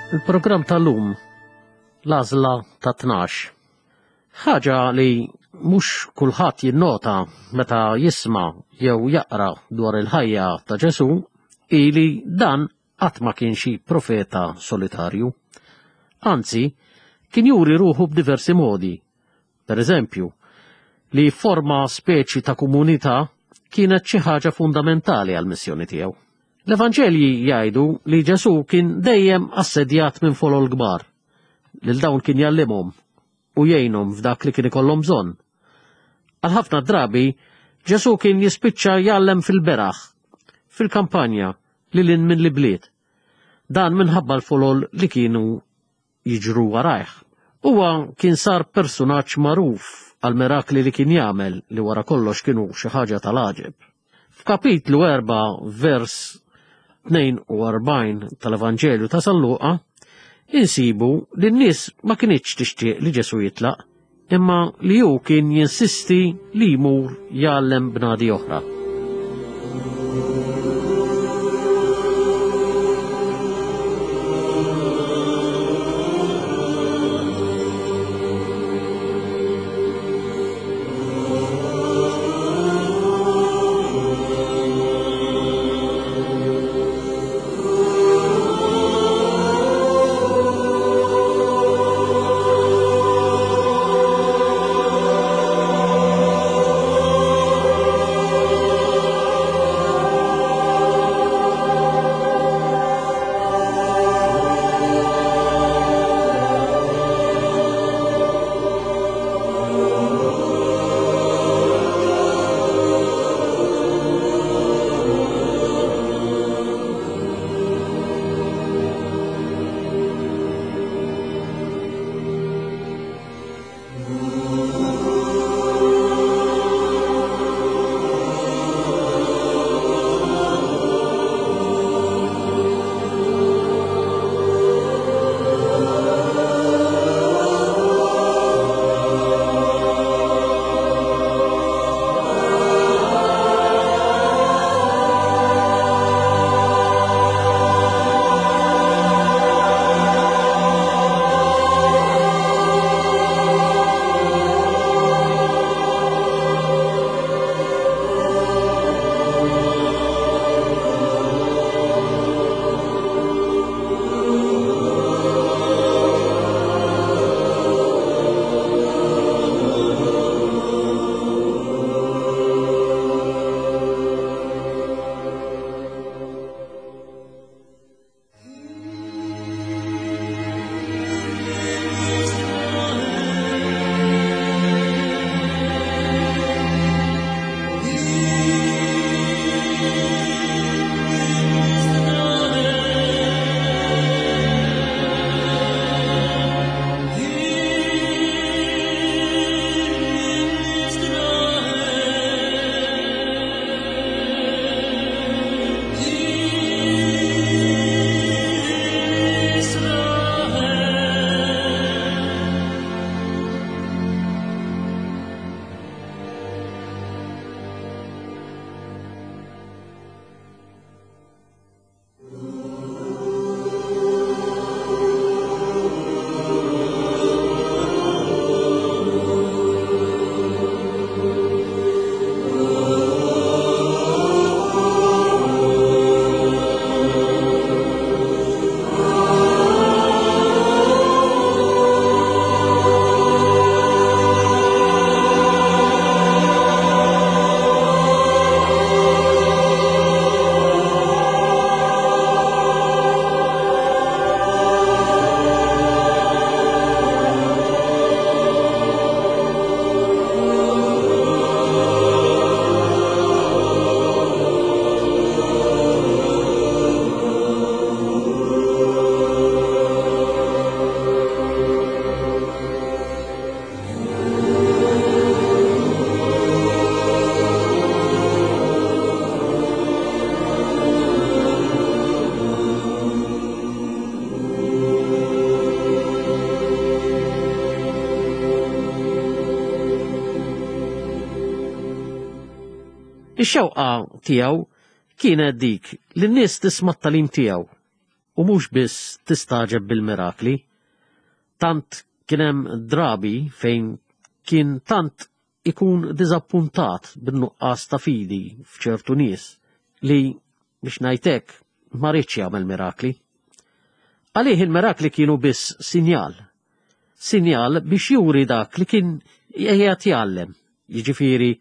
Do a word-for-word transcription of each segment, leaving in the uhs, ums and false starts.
Il-programm tal-lum, l-għażla ta' tnax. Ħaġa li mhux kulħadd jinnota meta jisma' jew jaqra dwar il-ħajja ta' Ġesù hi li dan qatt ma kien xi profeta solitarju. Anzi, kien juri ruħu b'diversi modi. Per eżempju, li forma speċi ta' komunità kienet xi ħaġa fundamentali għall-missjoni tiegħu. L-Evanġelji jgħidu li Ġesù kien dejjem assedjat minn folol kbar, lil dawn kien jgħallimhom u jgħinhom f'dak li kien ikollhom bżonn. Għal ħafna drabi, Ġesù kien jispiċċa jgħallem fil-beraħ, fil-kampanja, lil hinn minn l-ibliet. Dan minħabba l-folol li kienu jiġru warajh. Huwa kien sar persunaġġ magħruf għal mirakli li kien jagħmel li wara kollox kienu xi ħaġa tal-għaġeb. F'kapitlu erba' vers tnejn u erbgħin tal-Evanġelju ta' San Luqa, insibu li n-nies ma kinitx tixtieq li Ġesù jitlaq, imma li hu kien jinsisti li jmur jgħallem bnadi oħra. Ix-xewqa tiegħu kienet dik li n-nies tisma' t-tagħlim tiegħu u mhux biss tistagħġeb bil-mirakli. Tant kien hemm drabi fejn kien tant ikun diżappuntat bin-nuqqas ta' fidi f'ċertu nies li biex ngħidlek ma riedx jagħmel mirakli. Għalih il-mirakli kienu biss sinjal. Sinjal biex juri dak li kien qiegħed jgħallem, jiġifieri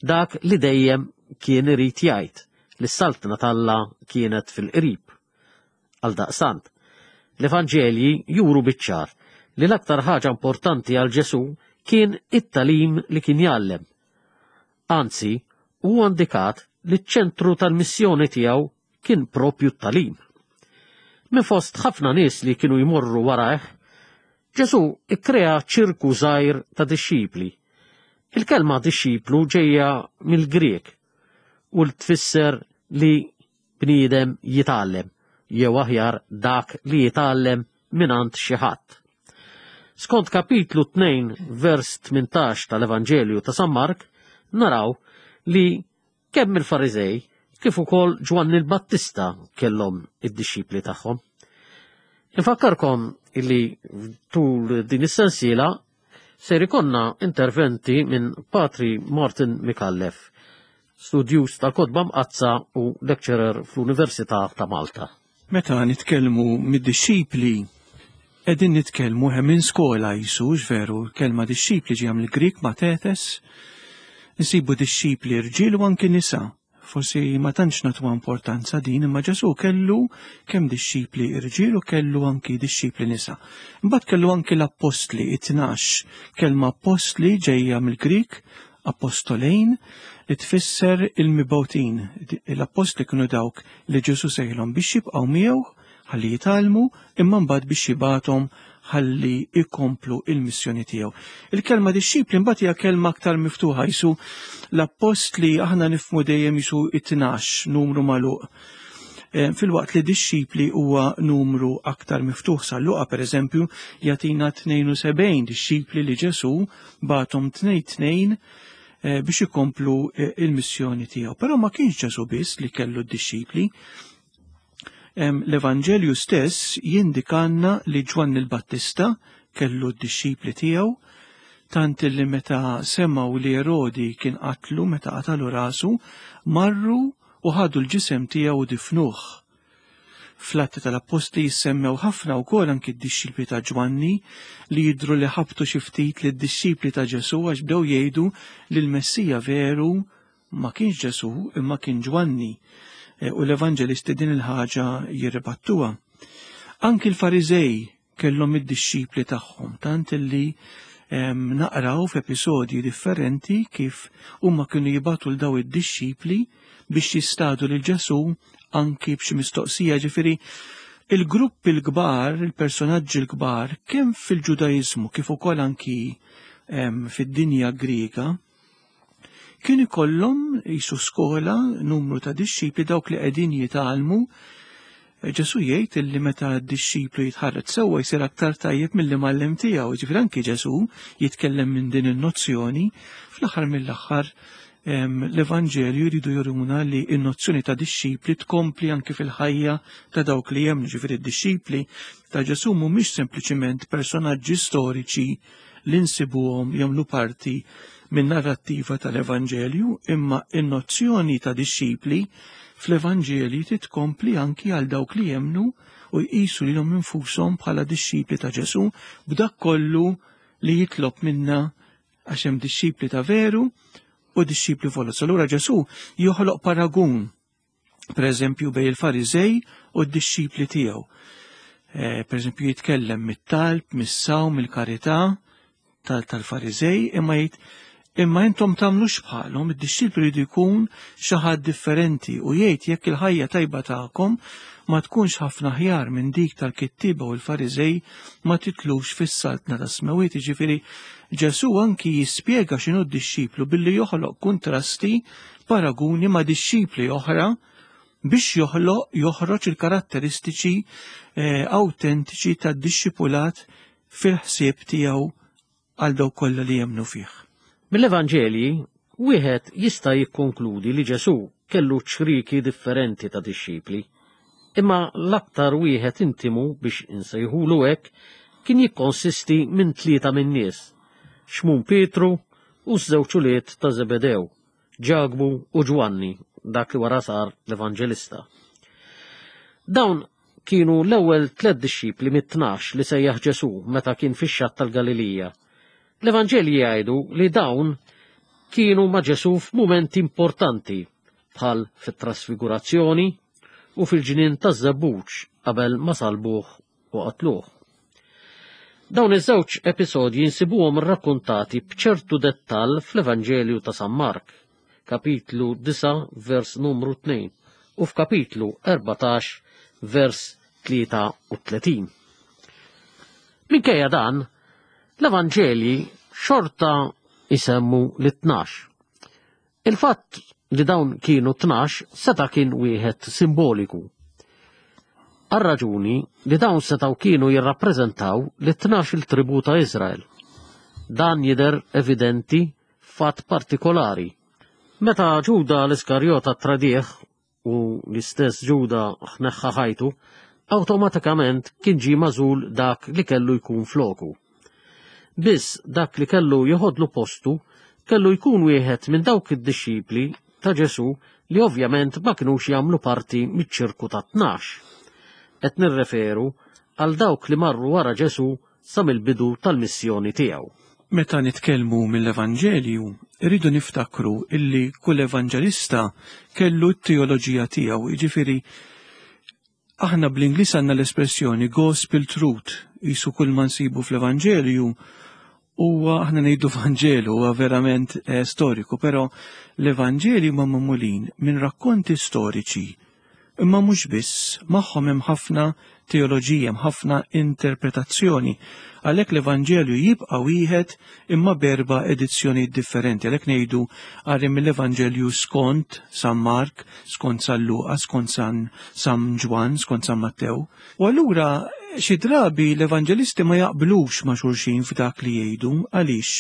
dak li dejjem kien irid jgħid li s-saltna t'Alla kienet fil-qrib. Għaldaqstant, l-Evanġelji juru biċ-ċar li l-aktar ħaġa importanti għal Ġesù kien it-tagħlim li kien jgħallem. Anzi, huwa indikat li ċ-ċentru tal-missjoni tiegħu kien propju t-tagħlim. Minn fost ħafna nies li kienu jmorru warajh, Ġesù ikkrea ċirku żgħir ta' dixxipli. Il-kelma dixxiplu ġejja mill-Grieg u tfisser li bniedem jitgħallem, jew aħjar dak li jitgħallem mingħand xi ħadd. Skont kapitlu tnejn vers tmintax tal-Evanġelju ta' San Mark, naraw li kemm il-Fariżej kif ukoll Ġwanni l-Battista kellhom id-dixxipli tagħhom. Infakkarkom illi tul din is-sensiela ser ikollna interventi minn Patri Martin Micallef, studjuż tal-Kotba Mqaddsa u lecturer fl-Università ta' Malta. Meta nitkellmu mid-dixxipli, qegħdin nitkellmu hemm minn skola jisu, veru, kelma dixxipli ġejja mill-Grieg mathetes, nsibu dixxipli rġiel u anki nisa. Forsi ma tantx nagħtuha importanza din, imma Ġesù kellu kemm dixxipli rġiel u kellu anki dixxipli nisa. Imbagħad kellu anki l-appostli, it-tnax. Kelma appostli ġejja mill-Grieg apostolein, li tfisser il-mibgħutin. L-appostli kienu dawk li Ġesù sejħilhom biex jibqgħu miegħu ħalli jitgħallmu, imma mbagħad biex jibgħathom ħalli ikomplu il-missjoni tiegħu. Il-kelma dixxipli mbagħad hija kelma aktar miftuħa, jisu l-appostli aħna nifhmu dejjem jisu it-tnax numru magħluq. Eh, filwaqt li dixxipli huwa numru aktar miftuħ. San Luqa pereżempju jagħtina tnejn u sebgħin dixxipli li Ġesù bagħathom tnejn tnejn, eh, biex ikomplu, eh, il-missjoni tiegħu. Però ma kienx Ġesù biss li kellu d-dixxipli. Em, L-Evanġelju stess jindikanna li Ġwanni l-Battista kellu d-dixxipli tiegħu, tant li meta semgħu li Erodi kien qatlu, meta qatalu rasu, marru u ħadu l-ġisem tiegħu u difnuh. Fl-Atti tal-Appostli jissemmew ħafna wkoll anki d-dixxipli ta' Ġwanni li jidhru li ħabtu xi ftit lid-dixxipli ta' Ġesù għax bdew jgħidu li l-Messija veru ma kienx Ġesù imma kien Ġwanni. E, u l-Evanġelisti din il-ħaġa jirribattuha. Anki l-Fariżej kellhom id-dixxipli tagħhom, tant li, em, naqraw f'episodji differenti kif huma kienu jibgħatu l daw id-dixxipli biex jistadu lil Ġesù anki b'xi mistoqsija. Ġifieri il-gruppi l-kbar, il-personaġġi l-kbar, kemm fil-Ġudaiżmu kif ukoll anki, em, fid-dinja Griega, kien ikollhom jisu skola, numru ta' dixxipli dawk li qegħdin jitgħallmu. Ġesù jgħid illi meta d-dixxiplu jitħarreġ sewwa jsir aktar tajjeb milli mgħallem tiegħu. Ġifieri anki Ġesù jitkellem minn din in-nozzjoni. Fl-aħħar mill-aħħar, em, l-Evanġelju jridu juruna li n-nozzjoni ta' dixxipli tkompli anki fil-ħajja ta' dawk li jemmnu. Ġifieri d-dixxipli ta' Ġesù mhumiex sempliċiment personaġġi storiċi li nsibuhom jagħmlu parti minn narrattiva tal-Evanġelju, imma n-nozzjoni ta' dixxipli fl-Evanġelju titkompli anki għal dawk li jemmnu u jqisu lilhom infushom bħala dixxipli ta' Ġesù b'dak kollu li jitlob minna, għax hemm dixxipli ta' veru u dixxipli foloz. Allura Ġesù joħloq paragun, per eżempju, bejn il-Fariżej u d-dixxipli tiegħu. Eh, per eżempju, jitkellem mit-talb, mis-sawm, mill-karità tal-, tal-Fariżej, imma jgħid imma intom tagħmlux bħalhom, id-dixxipli jridu jkun xi ħadd differenti, u jgħid jekk il-ħajja tajba tagħkom ma tkunx ħafna ħjar minn dik tal-kittieba u l-Fariżej ma titlux fis-saltna tas-smewwiet. Jiġifieri Ġesù anki jispjega x'inhu d-dixxiplu billi joħloq kontrasti, paraguni ma' dixxipli oħra biex joħloq, joħroġ il-karatteristiċi, eh, autentiċi tad-dixxipulat fil-ħsieb tiegħu għal dawk kollha li jemmnu fih. Mill-Evanġelji, wieħed jista' jikkonkludi li Ġesù kellu ċriki differenti ta' dixxipli, Imma l-aktar wieħed intimu biex insejħulu hekk kien jikkonsisti minn tlieta min-nies, Xmun Pietru u ż-żewġ ulied ta' Zebedew, Ġakbu u Ġwanni, dak li wara sar l-Evanġelista. Dawn kienu l-ewwel tliet dixxipli mit-tnax li sejjaħ Ġesù meta kien fix-xatt tal-Galilija. L-Evanġelji jgħidu li dawn kienu ma' Ġesù f'mumenti importanti bħal fit-trasfigurazzjoni u fil-ġnien taż-żebbuġ qabel ma salbuh u qatluh. Dawn iż-żewġ episodji nsibuhom rrakkuntati b'ċertu dettall fl-Evanġelju ta' San Mark, kapitlu disgħa vers numru tnejn u f'kapitlu erbatax vers tlieta u tletin. Minkejja dan, l-Evanġelji xorta jsemmu lit-tnax. Il-fatt li dawn kienu tnax seta' kien wieħed simboliku. Għar-raġuni li dawn setgħu kienu jirrappreżentaw lit-tnax il-tribu ta' Iżrael. Dan jidher evidenti f'fatt partikolari. Meta Ġuda l-Iskarjota tradih u l-istess Ġuda ħneħħa ħajtu, awtomatikament kien ġie magħżul dak li kellu jkun floku. Biss dak li kellu joħodlu postu kellu jkun wieħed minn dawk id-dixxipli ta' Ġesù li ovvjament ma kinux jagħmlu parti miċ-ċirku ta' tnax. Qed nirreferu għal dawk li marru wara Ġesù sa mill-bidu tal-missjoni tiegħu. Meta nitkellmu mill-Evanġelju, irridu niftakru illi kull evanġelista kellu t-teoloġija tiegħu, jiġifieri aħna bl-Ingliż għandna l-espressjoni gospel truth, jisu kull ma nsibu fl-Evanġelju huwa aħna ngħidu Vanġelu huwa verament, eh, storiku, però l-Evanġelju huma magħmulin minn rakkonti storiċi. Imma mhux biss, magħhom hemm ħafna teoloġija, hemm ħafna interpretazzjoni. Għalhekk l-Evanġelju jibqa' wieħed imma b'erba' edizzjonijiet differenti. Għalhekk ngħidu qari mill-Evanġelju skont San Mark, skont San Luqa, skont San, San Ġwann, skont San Mattew. U allura xi drabi l-evanġelisti ma jaqblux ma' xulxin f'dak li jgħidu. Għaliex?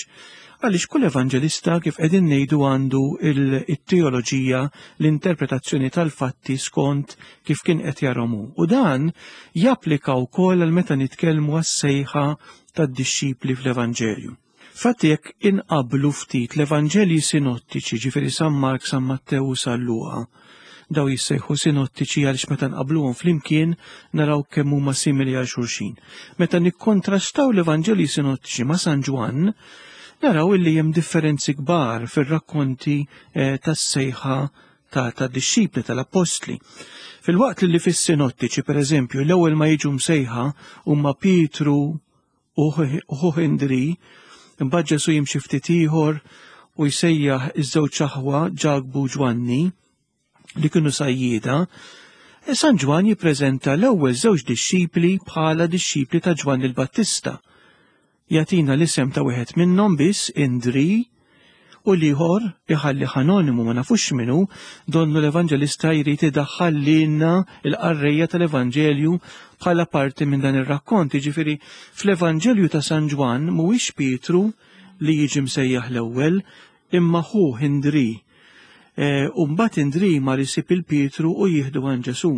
Għaliex kull evanġelista kif qegħdin ngħidu għandu il-teoloġija, l-interpretazzjoni tal-fatti skont kif kien qed jarahom hu. U dan japplika wkoll għal meta nitkellmu għas-sejħa tad-dixxipli fl-Evanġelju. Fatti jekk inqablu ftit l-Evanġelji sinottiċi, ġifieri San Mark, San Mattew u San Luqa, daw jissejħu sinottiċi għaliex meta nqabluhom flimkien naraw kemm huma simili għal xulxin. Meta nikkontrastaw l-Evanġelji sinottiċi ma' San Ġwann, naraw illi hemm differenzi kbar fir-rakkonti, eh, tas-sejħa ta', ta' dixxipli tal-appostli. Fil-waqt li fis-sinottiċi, per eżempju, l-ewwel ma jiġu msejħa huma Pietru u ħuh Indri, imbagħad Ġesù jimxi ftit ieħor u jsejjaħ iż-żewġ aħwa Ġakbu u Ġwanni li kienu sajjieda, San Ġwann jippreżenta l-ewwel żewġ dixxipli bħala dixxipli ta' Ġwanni l-Battista. Jagħtina l-isem ta' wieħed minnhom biss, Indri, u l-ieħor iħalli anonimu ma nafux minnu, donnu l-Evanġelista jrid idaħħal lilna l-qarrejja tal-Evanġelju bħala parti minn dan ir-rakkont. Jiġifieri fl-Evanġelju ta' San Ġwann mhuwiex Pietru li jiġi msejjaħ l-ewwel, imma ħu Indri. Eh, u mbagħad Indri mar isib il-Pietru u jieħdu għand Ġesù.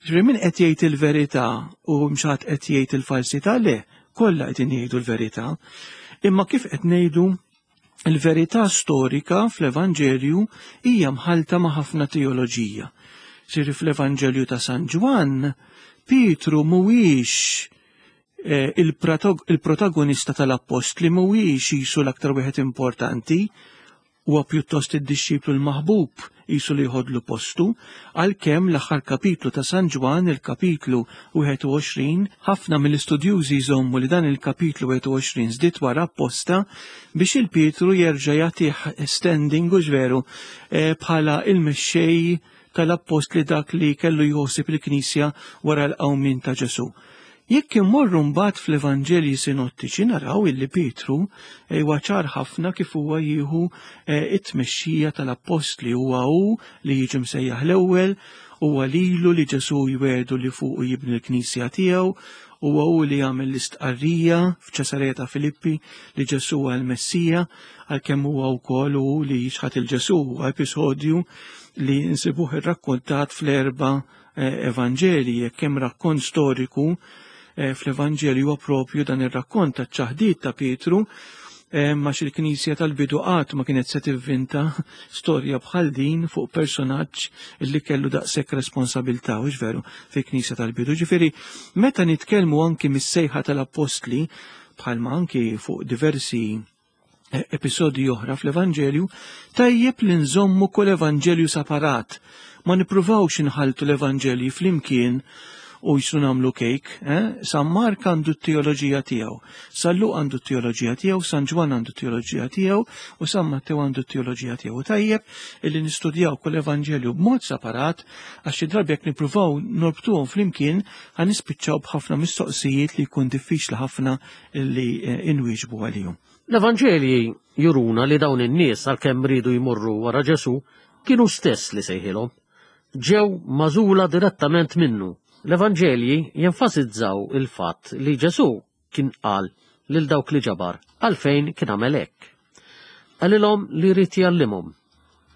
Ġifieri min qed jgħid il-verità u mxat qed jgħid il-falsità, le, kollha qed jgħidu l-verità. Imma kif qed ngħidu il-verità storika fl-Evanġelju hija mħalta ma' ħafna teoloġija. Ġifieri fl-Evanġelju ta' San Ġwann, Pietru mhuwiex, eh, il-protag-, il-protagonista tal-appostli, mhuwiex jisu l-aktar wieħed importanti, huwa pjuttost id-dixxiplu l-maħbub jisu li jħodlu postu, għalkemm l-aħħar kapitlu ta' San Ġwann, il-kapitlu wieħed u għoxrin, ħafna mill-istudjużi jżommu li dan il-kapitlu wieħed u għoxrin żdied wara apposta biex il-Pietru jerġa' jagħtih standing u ġveru, eh, bħala il-mexxej tal-appostli, dak li kellu jħossib il-Knisja wara l-qawmien ta' Ġesù. Jekk immorru mbagħad fl-Evanġelji sinottiċi naraw illi Pietru huwa ċar ħafna kif huwa jieħu, eh, it-tmexxija tal-appostli, huwa hu li jiġi msejjaħ l-ewwel, huwa lilu li Ġesù jwedu li fuqu jibni l-Knisja tiegħu, huwa hu li jagħmel l-istqarrija f'Ċesarija ta' Filippi li Ġesù huwa l-Messija, għalkemm huwa wkoll hu li jixħat il-Ġesù, huwa episodju li nsibuh irrakkontat fl-erba' Evanġeli, jekk hemm rakkont storiku fl-Evanġelju huwa propju dan ir-rakkont taċ-ċaħdiet ta' Pietru, ma il-Knisja tal-bidu qatt ma kienet se tivvinta storja bħal din fuq personaġġ li kellu daqshekk responsabilità, hux veru, fil-Knisja tal-bidu. Ġifieri meta nitkellmu anki mis-sejħa tal-Appostli, bħalma anki fuq diversi episodji oħra fl-Evanġelju, tajjeb li nżommu kull Evanġelju separat. Ma nippruvawx inħaltu l-Evanġelji flimkien u jisu nagħmlu kejk. Eh? San Mark għandu t-teoloġija tiegħu, San Luqa għandu t-teoloġija tiegħu, San Ġwann għandu t-teoloġija tiegħu u San Mattew għandu t-teoloġija tiegħu. Tajjeb illi nistudjaw kull Evanġelju b'mod separat, għax xi drabi jekk nippruvaw norbtuhom flimkien ħa nispiċċaw b'ħafna mistoqsijiet li jkun diffiċli ħafna li inwieġbu għalihom. L-Evanġelji juruna li dawn in-nies għalkemm riedu jmorru wara Ġesù kienu stess li sejħilhom. Ġew magħżula direttament minnu. L-Evanġelji jenfasizzaw il-fatt li Ġesù kien qal lil dawk li ġabar għalfejn kien għamel hekk. Qalilhom li jrid jgħallimhom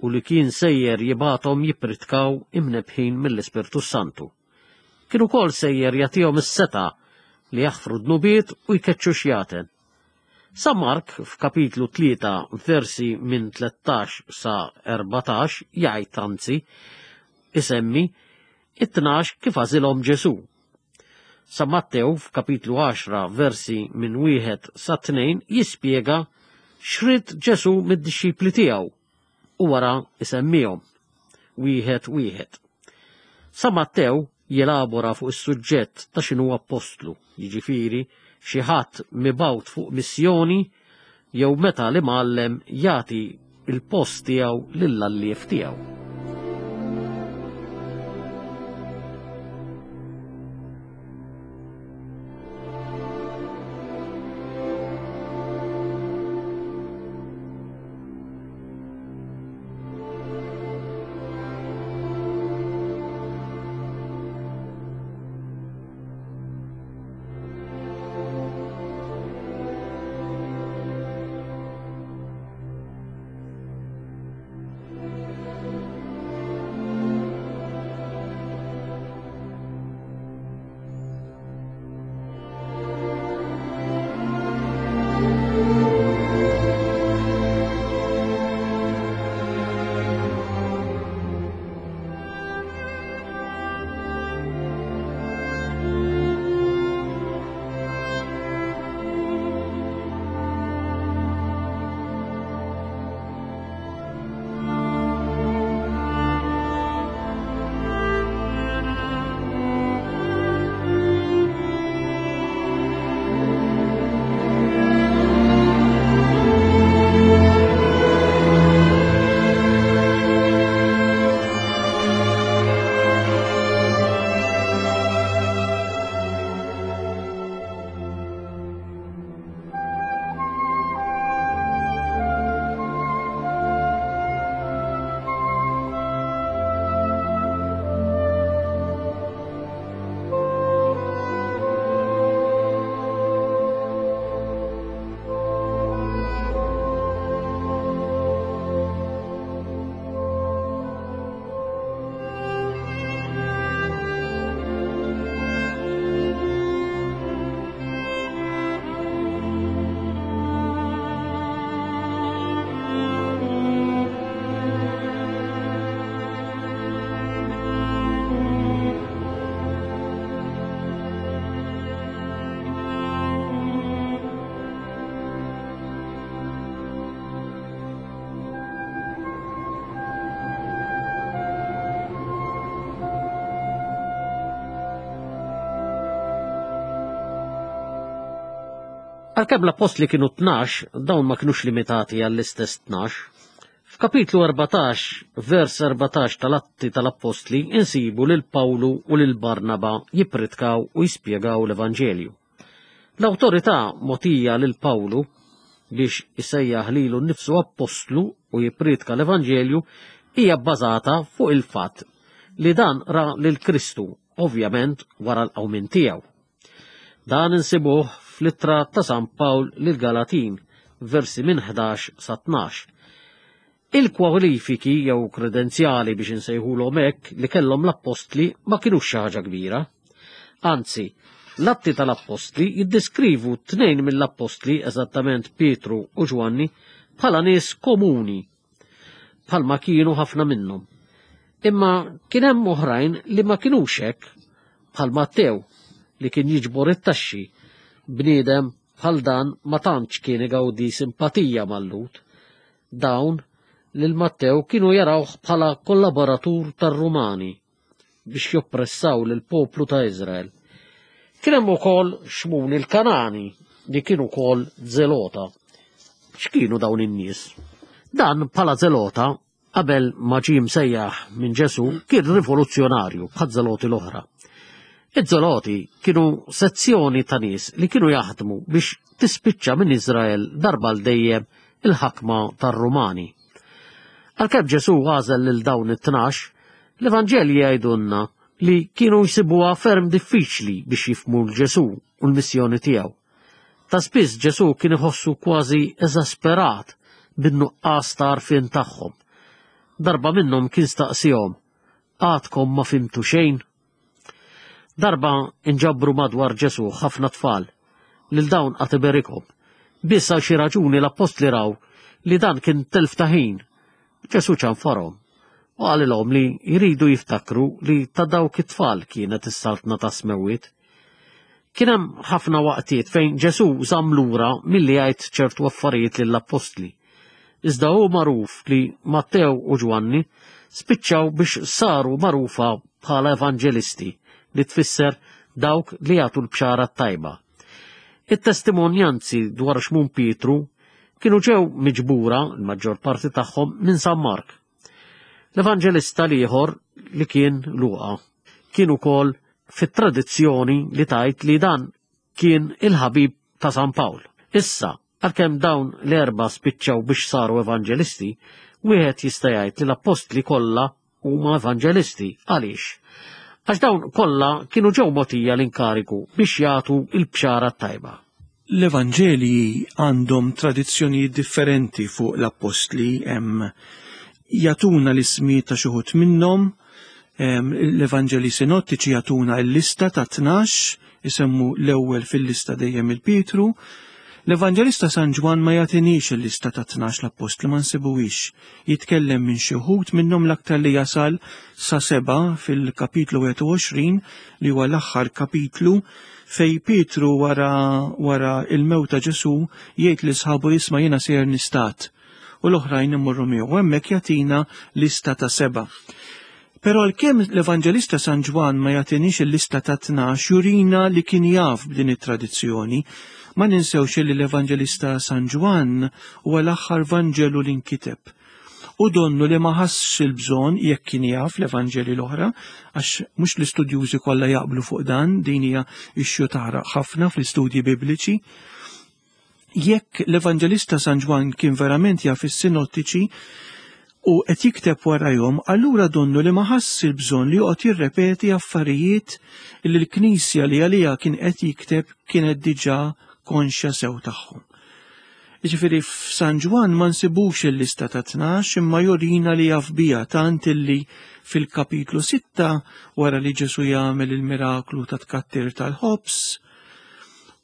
u li kien sejjer jibgħathom jippritkaw imnebħin mill-Ispirtu Santu. Kien ukoll sejjer jagħtihom is-setgħa li jaħfru dnubiet u jkeċċu xjaten. San Mark f'kapitlu tlieta versi minn tlettax sa erbatax jgħid, anzi isemmi it-tnax kif għażilhom Ġesù. San Mattew f'kapitlu għaxra versi minn wieħed sa tnejn jispjega x'rid Ġesù mid-dixxipli tiegħu u wara isemmihom wieħed wieħed. San Mattew jelabora fuq is-suġġett ta' x'inhu appostlu, jiġifieri xi ħadd mibgħut fuq missjoni jew meta l-imgħallem jagħti il-post tiegħu lill-alliev tiegħu. Għalkemm l-appostli kienu tnax, dawn ma kinux limitati għall-istess tnax. F'kapitlu erbatax, vers erbatax tal-Atti tal-Appostli insibu lil Pawlu u lil Barnaba jippritkaw u jispjegaw l-Evanġelju. L-awtorità mogħtija lil Pawlu biex isejjaħ lilu nnifsu appostlu u jippritka l-Evanġelju hija bbażata fuq il-fatt li dan ra lil Kristu, ovvjament wara l-qawmien tiegħu. Dan insibuh fl-ittra ta' San Pawl lil Galatin, versi minn ħdax sa tnax. Il-kwalifiki jew kredenzjali biex insejħulhom hekk li kellhom l-appostli ma kinux xi ħaġa kbira. Anzi, l-Atti tal-Appostli jiddeskrivu tnejn mill-appostli, eżattament Pietru u Ġwanni, bħala nies komuni, bħalma kienu ħafna minnhom. Imma kien hemm oħrajn li ma kinux hekk, bħal Mattew li kien jiġbor it-taxxi. Bniedem bħal dan ma tantx kien igawdi simpatija mal-Lhud. Dawn lil Mattew kienu jarawh bħala kollaboratur tar-Rumani biex joppressaw lill-poplu ta' Iżrael. Kien hemm ukoll Xmun il-Kanani li kien ukoll Zelota. X'kienu dawn in-nies? Dan bħala Zelota qabel ma ġie msejjaħ minn Ġesù kien rivoluzzjonarju bħal Zeloti l-oħra. Iż-Zeloti kienu sezzjoni ta' nies li kienu jaħdmu biex tispiċċa minn Iżrael darba l dejjem il-ħakma tar-Rumani. Għalkemm Ġesù għażel lil dawn it-tnax, l-Evanġelji jgħidulna li kienu jsibuha ferm diffiċli biex jifhmu 'l Ġesù u l-missjoni tiegħu. Ta' spiss Ġesù kien iħossu kważi eżasperat bin-nuqqas ta' għarfien tagħhom. Darba minnhom kien staqsihom, "Għadkom ma fhimtu xejn?" Darba inġabru madwar Ġesù ħafna tfal, lil dawn qagħad iberikhom. Biss għal xi raġuni l-appostli raw li dan kien telf ta' ħin. Ġesù ċanfarhom u qalilhom li jridu jiftakru li ta' dawk it-tfal kienet is-saltna tas-smewwiet. Kien hemm ħafna waqtiet fejn Ġesù żamm lura milli jgħid ċertu affarijiet lill-appostli. Iżda hu magħruf li Mattew u Ġwanni spiċċaw biex saru magħrufa bħala evanġelisti, li tfisser dawk li jagħtu l-bxara t-tajba. It-testimonjanzi dwar Xmun Pietru kienu ġew miġbura, l-maġġor parti tagħhom, minn San Mark. L-evanġelista l-ieħor li kien Luqa kien ukoll fit-tradizzjoni li tajt li dan kien il-ħabib ta' San Pawl. Issa, għalkemm dawn l-erba spiċċaw biex saru evanġelisti, wieħed jista' jgħid li l-appostli kollha huma evanġelisti. Għaliex? Għax dawn kollha kienu ġew mogħtija l-inkariku biex jagħtu l-bxara t-tajba. L-Evanġelji għandhom tradizzjonijiet differenti fuq l-appostli, hemm jagħtuna l-ismi ta' xi wħud minnhom, l-Evanġeli sinottiċi jagħtuna l-lista ta' tnax, isemmu l-ewwel fil-lista dejjem il-Pietru. L-Evanġelista San Ġwann ma jagħtinix il-lista ta' tnax l-appostli, ma nsibuhiex. Jitkellem minn xi wħud minnhom, l-aktar li jasal sa seba' fil-kapitlu wieħed u għoxrin, li huwa l-aħħar kapitlu, fej Pietru wara, wara il-mewt ta' Ġesu jgħid li sħabu, "Isma', jiena sejjer nistad," u l-oħrajn imorru miegħu. Hemmhekk jagħtina lista ta' seba'. Però għalkemm l-Evanġelista San Ġwann ma jagħtinix il-lista ta' tnax, jurina li kien jaf b'din it-tradizzjoni. Ma ninsewx li l-Evanġelista San Ġwann huwa l-aħħar Vanġelu li nkiteb. U donnu li ma ħassx il-bżonn, jekk kien jaf l-Evanġeli l-oħra, għax mhux l-istudjużi kollha jaqblu fuq dan, din hija issue taħraq ħafna fl-istudji bibliċi. Jekk l-Evanġelista San Ġwann kien verament jaf is-sinottiċi u qed jikteb warajhom, allura donnu li ma ħass il-bżonn li joqgħod jirrepeti affarijiet li l-Knisja li għaliha kien qed jikteb kienet diġà konxja sew tagħhom. Jiġifieri f'San Ġwann ma nsibux il-lista ta' tnax, imma jurina li jaf biha, tant illi fil-kapitlu sitta, wara li Ġesu jagħmel il-miraklu ta' tkattir tal-ħobs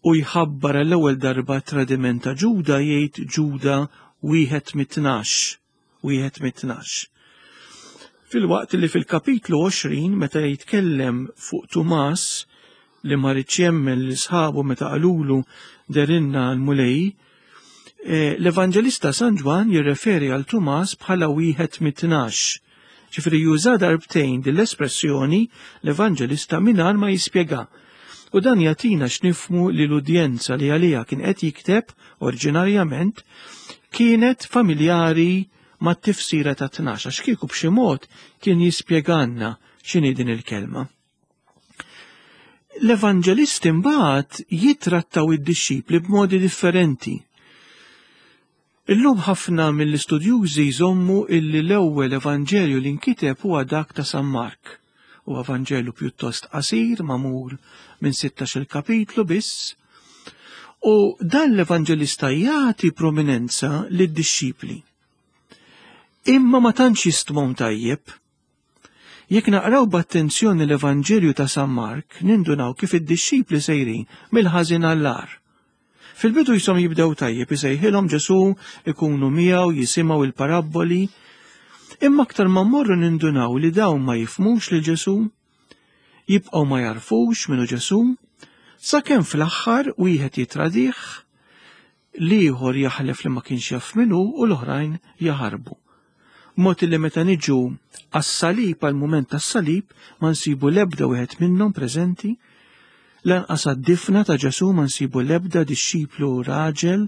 u jħabbar l-ewwel darba tradiment ta' Ġuda, jgħid Ġuda wieħed mit-tnax, wieħed mit-tnax. Filwaqt li fil-kapitlu għoxrin, meta jitkellem fuq Tumas li ma riedx jemmen lil sħabu meta qalulu "Dehrilna l-Mulej", eh, l-Evanġelista San Ġwann jirreferi għal Tumas bħala wieħed mit-tnax. Ġifieri juża darbtejn din l-espressjoni l-Evanġelista mingħajr ma jispjega. U dan jagħtina x'nifhmu li l-udjenza li għaliha kien qed jikteb oriġinarjament kienet familjari ma' tifsira ta' tnax, għax kieku b'xi mod kien jispjeganna x'inhi din il-kelma. L-Evanġelisti mbagħad jitrattaw id-dixxipli b'modi differenti. Illum ħafna mill-istudjużi jżommu illi l-ewwel Evanġelju li nkiteb huwa dak ta' San Mark. Huwa Evanġelju pjuttost qasir, magħmul minn sittax-il kapitlu biss. U dan l-Evanġelista jagħti prominenza lid-dixxipli. Imma ma tantx jistmhom tajjeb. Jekk naqraw b'attenzjoni l-Evanġelju ta' San Mark, nindunaw kif id-dixxipli sejrin mill-ħażin għall-agħar. Fil-bidu jisom jibdew tajjeb, isejħilhom Ġesù, ikunu miegħu, jisimgħu il-parabboli. Imma aktar ma mmorru nindunaw li dawn ma jifhmux lil Ġesù, jibqgħu ma jarfux minnu Ġesù, sakemm fl-aħħar wieħed jitradih, l-ieħor jaħlef li ma kienx jaf minnu u l-oħrajn jaħarbu. Mod li meta niġu għas-salib, għal-mument tas-salib, ma nsibu l-ebda wieħed minnhom preżenti, lanqas għad-difna ta' Ġesù ma nsibu l-ebda dixxiplu raġel,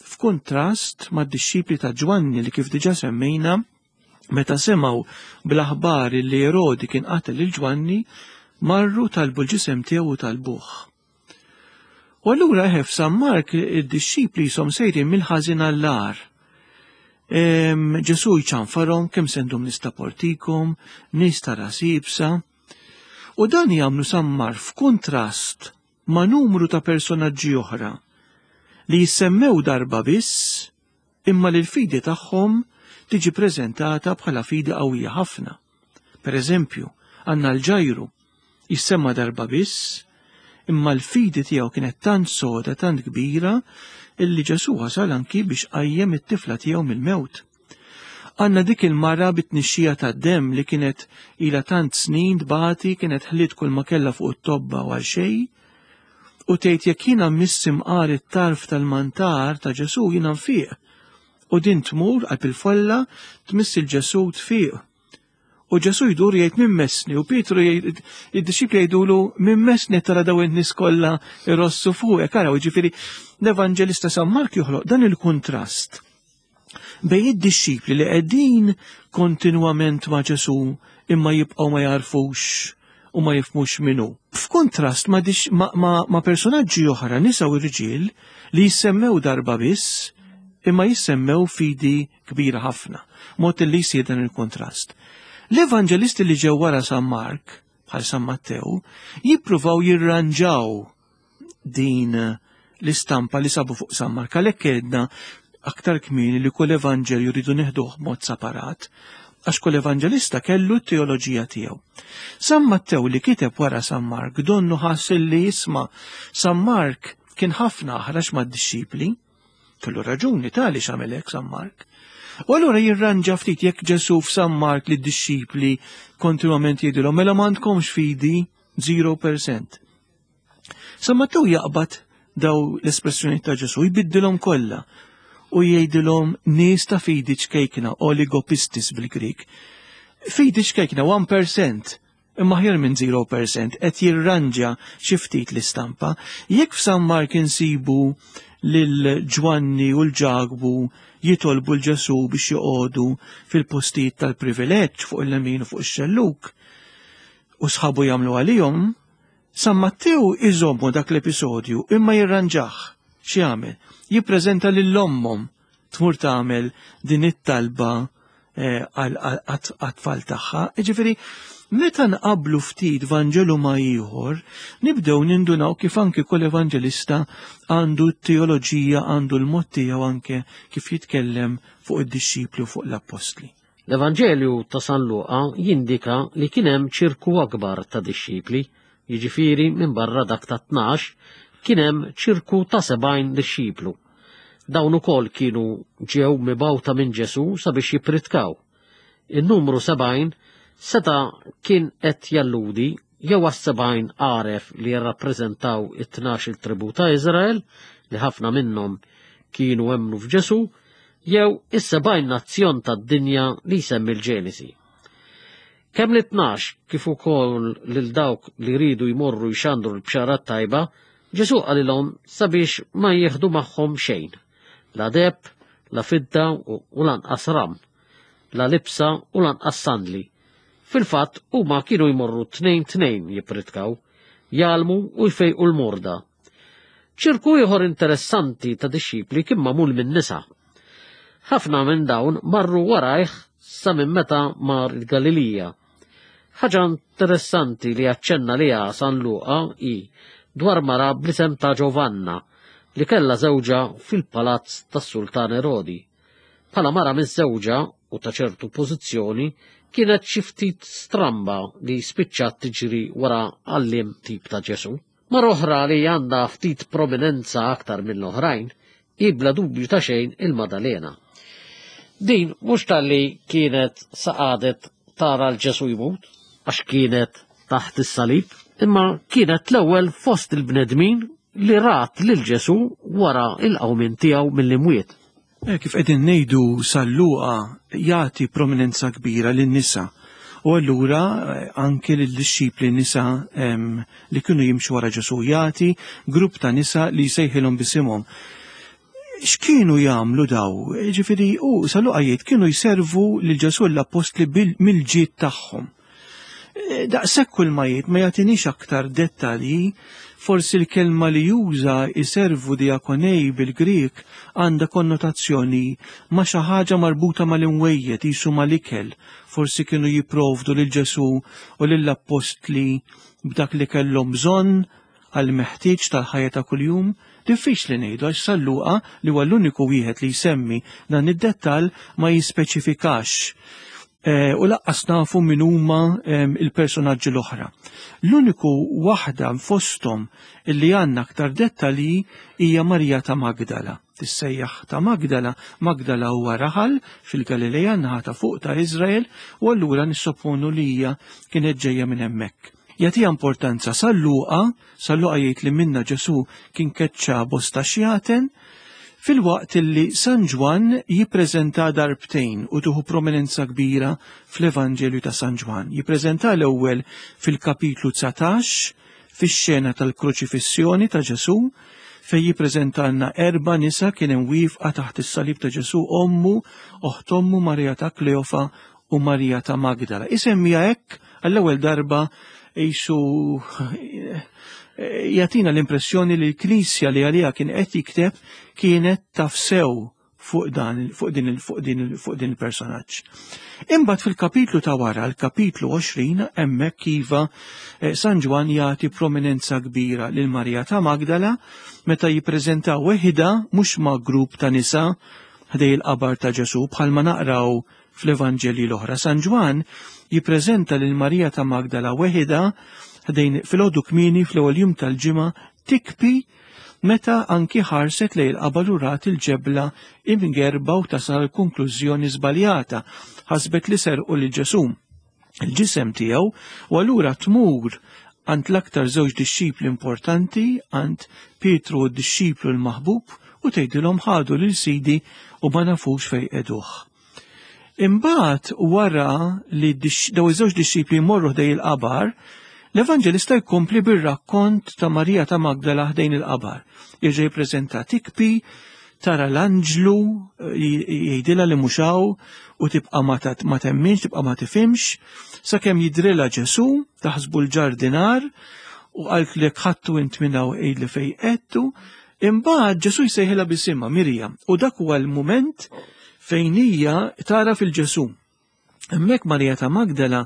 f'kuntrast mad-dixxipli ta' Ġwanni li kif diġà semmejna, meta semgħu bl-aħbar li Erodi kien qatel lil Ġwanni, marru talbu l-ġisem tiegħu u talbuh. U allura eħe f'San Mark id-dixxipli jisom sejrin mill-ħażin għall-agħar. Ġesù jċanfarhom kemm se ndum nistaportikom, nies ta' ras iebsa. U dan jagħmlu San Mark f'kuntrast ma' numru ta' personaġġi oħra li jissemmew darba biss imma li l-fidi tagħhom tiġi preżentata bħala fidi qawwija ħafna. Per eżempju, għandna l-Ġajru jissemma darba biss, imma l-fidi tiegħu kienet tant soda, tant kbira, illi Ġesù wasal anki biex qajjem it-tifla tiegħu mill-mewt. Għandna dik il-mara bit-tnixxija tad-demm li kienet ilha tant snin tbati, kienet ħliet kull ma kellha fuq it-tobba u għal xejn, u tgħid jekk jiena mmiss imqar it-tarf tal-mantar ta' Ġesù jiena nfiq. U din tmur qalb il-folla tmiss il-Ġesù tfiq. U Ġesù jdur jgħid min messni, u Pietru jgħid, id-dixxipli jgħidulu min messni tara daw in-nies kollha irossu fuqek. Araw, jiġifieri l-Evanġelista San Mark joħloq dan il-kuntrast bejn id-dixxipli li qegħdin kontinwament ma' Ġesù imma jibqgħu ma jarfux u ma jifhmux minnu. F'kontrast ma', ma, ma, ma' personaġġi oħra, nisa u rġiel, li jissemmew darba biss imma jissemmew fidi kbira ħafna, mod li jsir dan il-kontrast. L-evanġelisti li ġew wara San Mark, bħal San Mattew, jippruvaw jirranġaw din l-istampa li sabu fuq San Mark. Għalhekk għedna aktar kmieni li kull evanġelju rridu neħduh mod separat, għax kull evanġelista kellu t-teoloġija tiegħu. San Mattew li kiteb wara San Mark donnu ħass li jisma' San Mark kien ħafna aħrax mad-dixxipli, kellu raġuni tali x'għamel hekk San Mark. U allura jirranġa ftit jekk Ġesù f'San Mark li d-dixxipli kontinwament jgħidilhom mela m'għandkomx fidi zero percent. San Mattew jaqbad daw l-espressjoni ta' Ġesù jbiddilhom kollha u jgħidilhom nies ta' fidi ċkejkna, oligopistis bil-Grik. Fidi ċkejkna one percent, imma aħjar minn zero percent, qed jirranġa xi ftit l-istampa. Jekk f'San Mark insibu lil Ġwanni u l-Ġakbu jitolbu l-Ġesù biex joqogħdu fil-postijiet tal-privileġġ fuq il-lemin u fuq ix-xelluk, u sħabu jagħmlu għalihom, San Mattew iżommu dak l-episodju imma jirranġah. X'jagħmel? Jippreżenta lil ommhom tmur tagħmel din it-talba, eh, għat-tfal tagħha. Jiġifieri, meta nqablu ftit Vanġelu ma' ieħor, nibdew nindunaw kif anki kull evanġelista għandu t-teoloġija, għandu l-mod tiegħu anke kif jitkellem fuq id-dixxipli u fuq l-appostli. L-Evanġelju ta' San Luqa jindika li kien hemm ċirku akbar ta' dixxipli, jiġifieri minn barra dak ta' tnax, kien hemm ċirku ta' sebgħin dixxiplu. Dawn ukoll kienu ġew mibgħuta minn Ġesù sabiex jippritkaw. In-numru sebgħin seta' kien qed jalludi jew għas-sebgħin għaref li jirrappreżentaw it-tnax il-tribu ta' Iżrael, li ħafna minnhom kienu emmnu f'Ġesù, jew is-sebgħin nazzjon tad-dinja li jsemmi l-Ġenesi. Kemm li tnax kif ukoll lil dawk li jridu jmorru jxandru l-bxara tajba, Ġesù qalilhom sabiex ma jieħdu magħhom xejn, la deheb, la fidda u, u lanqas ram, la libsa u lanqas sandli. Fil-fatt huma kienu jmorru tnejn tnejn jippritkaw, jgħallmu u jfejqu l-morda. Ċirku ieħor interessanti ta' dixxipli kien magħmul minn nisa. Ħafna minn dawn marru warajh sa minn meta mar il-Galilija. Ħaġa interessanti li aċċenna liha San Luqa hi dwar mara bl-isem ta' Giovanna li kellha żewġha fil-palazz tas-Sultan Erodi. Bħala mara miżżewġa u ta' ċertu pożizzjoni, kienet xi ftit stramba li spiċċat tiġri wara għalliem tip ta' Ġesù. Mara oħra li għandha ftit prominenza aktar mill-oħrajn hi bla dubju ta' xejn il-Madalena. Din mhux talli kienet saqadet tara l-Ġesù jmut, għax kienet taħt is-salib, imma kienet l-ewwel fost il-bnedmin li rat lil Ġesù wara il-qawmien tiegħu mill-imwiet. Eh, kif qegħdin ngħidu, San Luqa jagħti prominenza kbira lin-nisa. U allura eh, anke lid-dixxipli nisa em, li kienu jimxu wara Ġesù, jagħti grupp ta' nisa li jsejħilhom bisimhom. X'kienu jagħmlu daw? Ġifieri u San Luqa jgħid kienu jservu lil Ġesù, l-appostli, mill-ġid tagħhom. Eh, Daqshekk kull ma jgħid, ma jagħtinix aktar dettalji. Forsi l-kelma li juża, jiservu, diakonei bil-Grik, għandha konnotazzjoni ma' xi ħaġa marbuta mal-imwejjed, jisu mal-ikel. Forsi kienu jipprovdu lil Ġesù u lill-appostli b'dak li kellhom bżonn għal meħtieġ tal-ħajja ta' kuljum. Diffiċli ngħidu għax San Luqa, li huwa l-uniku wieħed li jsemmi dan id-dettall, ma jispeċifikax. Eh, u lanqas nafu min huma il-personaġġi l-oħra. L-uniku waħda fosthom illi għandna aktar dettalji hija Marija ta' Magdala. Tissejjaħ ta' Magdala. Magdala huwa raħal fil-Galileja, naħa ta' fuq ta' Izrael, u allura nissopponu li hija kienet ġejja minn hemmhekk. Jagħtiha importanza San Luqa. San Luqa jgħid li minnha Ġesu kien keċċa bosta xjaten, filwaqt li San Ġwann jippreżenta darbtejn u tuħu prominenza kbira fl-Evanġelju ta' San Ġwann. Jippreżenta l-ewwel fil-kapitlu dsatax, fix-xena tal-kruċifissjoni ta' Ġesu, fej jippreżentalna erba' nisa kien hemm wieqfa taħt is-salib ta' Ġesu: ommu, oħt ommu Marija ta' Kleofa u Marija ta' Magdala. Isemmija hekk għall-ewwel darba, jisu jagħtina l-impressjoni li l-Knisja li għalija kien qed jikteb kienet taf sew fuq dan fuq din fuq din fuq din il-personaġġ. Imbagħad fil-kapitlu ta' wara, l-kapitlu għoxrin, hemmhekk iva, eh, San Ġwann jagħti prominenza kbira lil Marija ta' Magdala meta jippreżenta weħida, mhux ma' grupp ta' nisa ħdej il-qabar ta' Ġesu bħalma naqraw fl-Evanġelji l-oħra. San Ġwann jippreżenta lil Marija ta' Magdala weħida ħdejn filgħodu kmieni fl-ewwel jum tal-ġimgħa, tikbi, meta anki ħarset lejn il-qabar u rat il-ġebla imgerba u tasal konklużjoni żbaljata. Ħasbet li serqu lil Ġesu il-ġisem tiegħu, u allura tmur għand l-aktar żewġ dixxipli importanti, għand Pietru u d-dixxiplu l-maħbub, u tgħidilhom: "Ħadu lil Sidi u ma nafux fejn qegħduh." Imbagħad wara li daw iż-żewġ dixxipli jmorru ħdej il-qabar, l-Evanġelista jkompli bir-rakkont ta' Marija ta' Magdala ħdejn il-qabar. Jerġa' jippreżenta tikbi, tara l-anġlu jgħidilha li mhux hawn u tibqa' ma temminx, tibqa' ma tifhimx, sakemm jidrilha Ġesu, taħsbu l-ġardinar, u qalt li ħadtu int minn hawn, għidli fejn qegħedtu. Imbagħad Ġesu jsejħilha bisimha, "Mirjam", u dak huwa l-mument fejn hija tara fil-Ġesu. Hemmhekk Marija ta' Magdala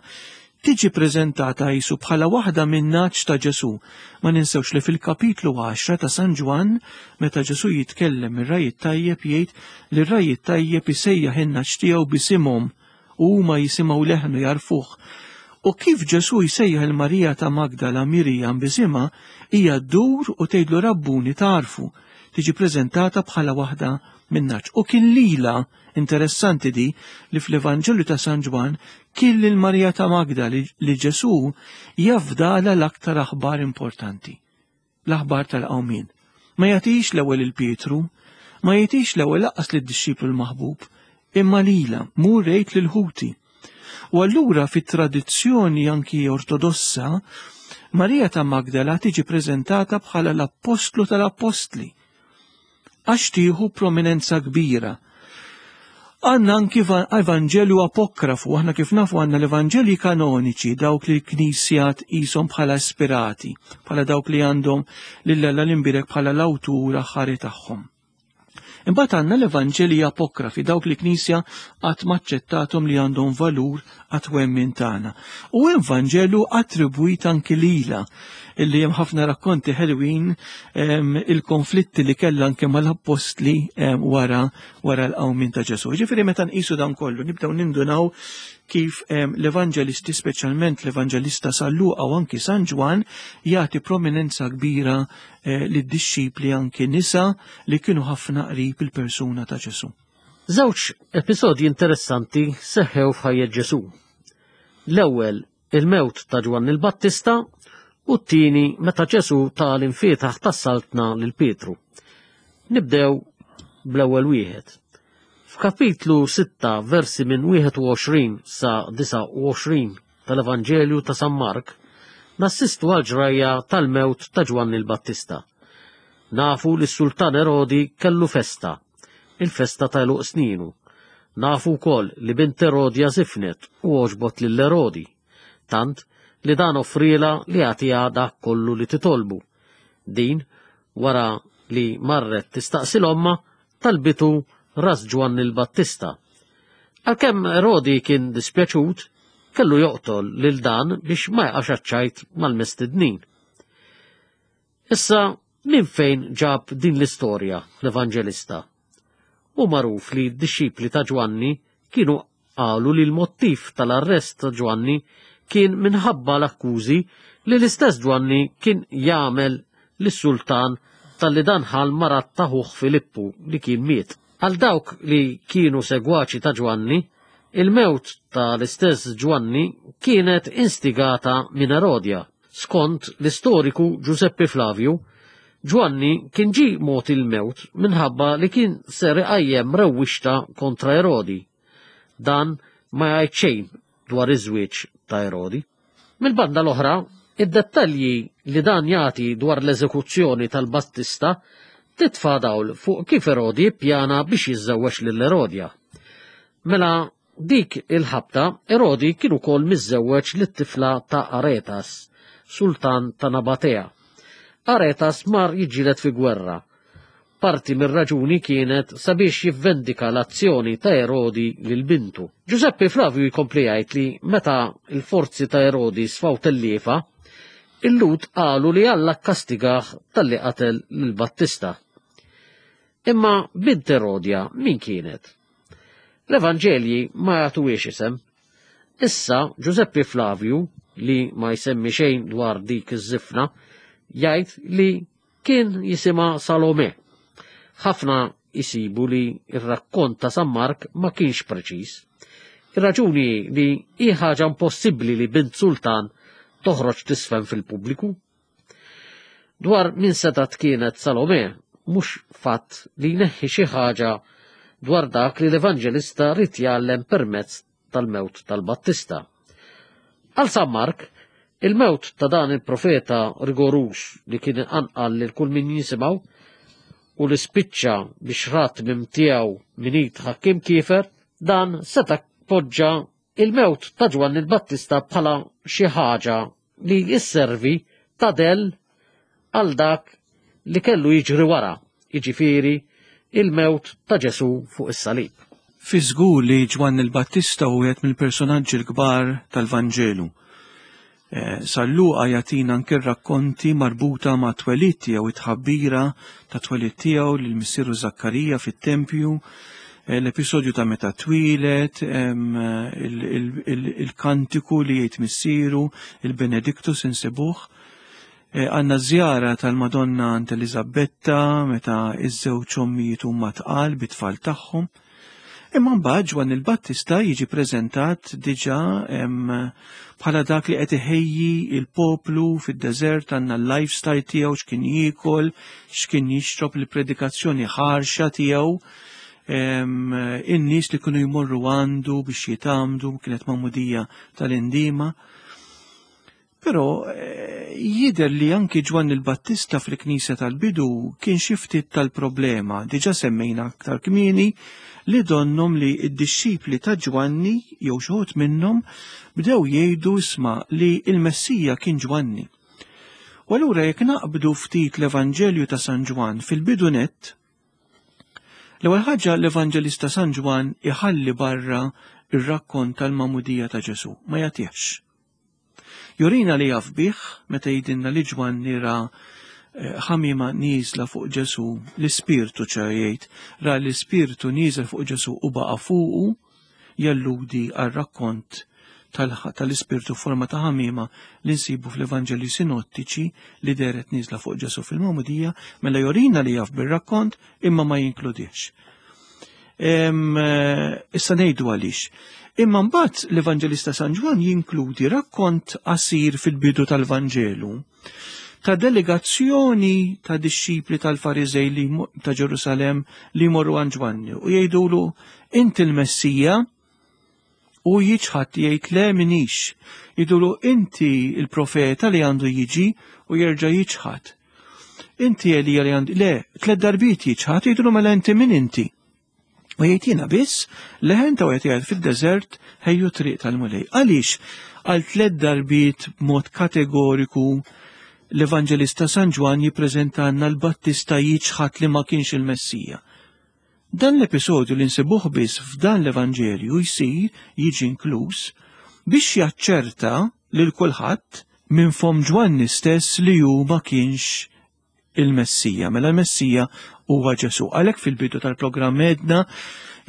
tiġi preżentata jisu bħala waħda min-nagħaġ ta' Ġesu. Ma ninsewx li fil-kapitlu għaxra ta' San Ġwann, meta Ġesu jitkellem ir-ragħaj it-tajjeb, jgħid li r-ragħaj it-tajjeb isejjaħ in-nagħaġ tiegħu bisimhom u huma jisimgħu leħnu, jagħrfuh. U kif Ġesu jsejjaħ il-Marija ta' Magdala Mirjam bisimha, hija ddur u tgħidlu: "Rabbuni", tagħrfu, tiġi preżentata bħala waħda min-nagħaġ. U kien lila, interessanti di, li fl-Evanġelju ta' San Ġwann kien lil Marija ta' Magda li, li Ġesu jafdala l-aktar aħbar importanti, l-aħbar tal-qawmien. Ma jagħtix l-ewwel il-Pietru, ma jagħtix l-ewwel lanqas lid-dixxiplu l-maħbub, imma lila: "Mur għid lil ħuti." U allura fit-tradizzjoni anki ortodossa, Marija ta' Magdala tiġi preżentata bħala l-appostlu tal-appostli, għax tieħu prominenza kbira. Għandna anki Evanġelju apokrafu. Aħna kif nafu għandna l-Evanġelji kanoniċi, dawk li l-Knisja tqishom bħala ispirati, bħala dawk li għandhom lil Alla l-imbirek bħala l-awtur aħħari tagħhom. Imbagħad għandna l-Evanġelji apokrafi, dawk li Knisja qatt maċċettathom li għandhom valur għat-twemmin tagħna. U hemm Vanġelu attribwit anki lila, illi hemm ħafna rakkonti ħelwin il-konflitti li kellha anke mal-appostli wara wara l-qawmien ta' Ġesù. Ġifieri meta nqisu dan kollu nibdew nindunaw kif l-evanġelisti, speċjalment l-evanġelista San Luqa u anki San Ġwann, jagħti prominenza kbira eh, lid-dixxipli anki nisa li kienu ħafna qrib il-persuna ta' Ġesù. Żewġ episodji interessanti seħħew f'ħajjet Ġesù. L-ewwel il-mewt ta' Ġwanni l-Battista u t-tieni meta Ġesù ta l-imfietaħ tas-saltna lil Pietru. Nibdew bl-ewwel wieħed. F'kapitlu sitta versi minn wieħed u għoxrin sa disgħa u għoxrin tal-Evanġelju ta' San Mark, nassistu għal ġrajja tal-mewt ta' Ġwanni l-Battista. Nafu li s-Sultan Erodi kellu festa, il-festa ta' għeluq sninu. Nafu wkoll li bint Erodja żifnet u għoġbot lil Erodi, tant li dan offriela li jagħtiha dak kollu li titolbu. Din, wara li marret tistaqsi l-omma, talbitu ras Ġwanni l-Battista. Għalkemm Erodi kien dispjaċut, kellu joqtol lil dan biex ma jaqax għaċ-ċajt mal-mistednin. Issa, minn fejn ġab din l-istorja l-Evanġelista? Hu magħruf li d-dixxipli ta' Ġwanni kienu qalu li l-mottiv tal-arrest ta' Ġwanni kien minħabba l-akkużi li l-istess Ġwanni kien jagħmel lis-sultan talli dan ħal marat ta' ħuh Filippu li kien miet. Għal dawk li kienu segwaċi ta' Ġwanni, il-mewt ta' l-istess Ġwanni kienet instigata minn Erodja. Skont l-istoriku Giuseppe Flavio, Ġwanni kien ġie mogħti l-mewt minħabba li kien ser iqajjem rewwixta kontra Erodi. Dan ma jgħid xejn dwar iż-żwieġ ta' Erodi. Mill-banda l-oħra, id-dettalji li dan jagħti dwar l-eżekuzzjoni tal-Battista titfa' dawl fuq kif Erodi ppjana biex jiżżewweġ lil Erodja. Mela dik il-ħabta Erodi kien ukoll miżżewweġ lit-tifla ta' Aretas, sultan ta' Nabatea. Aretas mar jiġġieled fi gwerra. Parti mir-raġuni kienet sabiex jivvendika l-azzjoni ta' Erodi lil bintu. Giuseppe Flavio jkompli jgħid li meta l-forzi ta' Erodi sfaw telliefa, il-Lhud qalu li Alla kkastigah talli qatel lil Battista. Imma bint Erodja min kienet? L-Evanġelji ma jagħtuhiex isem. Issa Giuseppe Flavio, li ma jsemmi xejn dwar dik iż-żifna, jgħid li kien jisimha Salome. Ħafna jisibu li r-rakkont ta' San Mark ma kienx preċiż. Ir-raġuni li hi ħaġa impossibbli li bint sultan toħroġ tisfen fil-pubbliku. Dwar min setgħet kienet Salome, mhux fatt li jneħħi xi ħaġa dwar dak li l-Evanġelista rid jgħallem permezz tal-mewt tal-Battista. Għal San Mark, il-mewt ta' dan il-profeta rigorus li kien inqanqal lil kull min jisimgħu u li spiċċa biex rat minn tiegħu min id ħakkiem kiefer, dan seta' poġġa il-mewt ta' Ġwanni l-Battista bħala xi ħaġa li jisservi ta' del għal dak li kellu jiġri wara, jiġifieri il-mewt ta' Ġesù fuq is-salib. Fi żgur li Ġwanni l-Battista hu wieħed mill-personaġġi l-kbar tal-Vanġelu. Eh, San Luqa jagħtina anke rakkonti marbuta ma' twelid tiegħu, it-tħabbira ta' twelid tiegħu lil missieru Zakkarija fit-tempju, eh, l-episodju ta' meta twieled, em, il-, il-, il-, il-kantiku li jgħid missieru, il-Benedictus insibuh. Eh, għandna żjara tal-Madonna għand Eliżabetta meta iż-żewġ ommijiet huma tqal bit-tfal tagħhom. Imma mbagħad Ġwanni l-Battista jiġi preżentat diġà, em, bħala dak li qed iħejji il-poplu fid-deżert, għandna l-lifestyle tiegħu, x'kien jiekol, x'kien jixrob, il-predikazzjoni ħarxa tiegħu, em, in-nies li kienu jmorru għandu biex jitamdu, kienet magħmudija tal-indima. Però, eh, jidher li anki Ġwanni l-Battista fil-Knisja tal-bidu kien xi ftit tal-problema. Diġà semmejna aktar kmieni li donnom li d-dixxipli ta' Ġwanni jew xi wħud minnhom bdew jgħidu isma' li l-Messija kien Ġwanni. U allura jekk naqbdu ftit l-Evanġelju ta' San Ġwann fil-bidu nett, L-ewwel ħaġa, l-Evanġelista San Ġwann iħalli barra ir-rakkont tal-magħmudija ta' Ġesù, ma jagħtihx. Jurina li jaf bih meta jgħidilna li Ġwanni ra ħamima nieżla fuq Ġesù, l-Ispirtu ċa jgħid, ra l-Ispirtu nieżel fuq Ġesù u baqa' fuqu, jalludi għar-rakkont tal-Ispirtu forma ta' ħamima li nsibu fl-Evanġeli sinottiċi li dehret nieżla fuq Ġesù fil-magħmudija, mela jurina li jaf bir-rakkont imma ma jinkludix. Issa ngħidu għaliex. Imma mbagħad l-Evanġelista San Ġwann jinkludi rakkont qasir fil-bidu tal-Vanġelu ta' delegazzjoni ta' dixxipli tal-Fariżej li ta' Ġerusalem li jmorru għand Ġwanni u jgħidulu inti l-Messija, u jiċħad, jgħid le minix. Jgħidulu inti il-profeta li għandu jiġi, u jerġa' jiċħad. Inti Elija li għandu, le, tliet darbiet jiċħad, jgħidulu mela inti min inti? U jgħid jiena biss leħen ta' wieħed jgħid fid-deżert ħejju triq tal-Mulej. Għaliex għal tliet darbiet b'mod kategoriku l-Evanġelista San Ġwann jippreżentanna l-Battista jiċħad li ma kienx il-Messija? Dan l-episodju li nsibuh biss f'dan l-Evanġelju jsir jiġi inkluż biex jaċċerta lil kulħadd minn fom Ġwanni stess li hu ma kienx il-Messija. Mela l-Messija huwa Ġesù. Għalhekk fil-bidu tal-programm għedna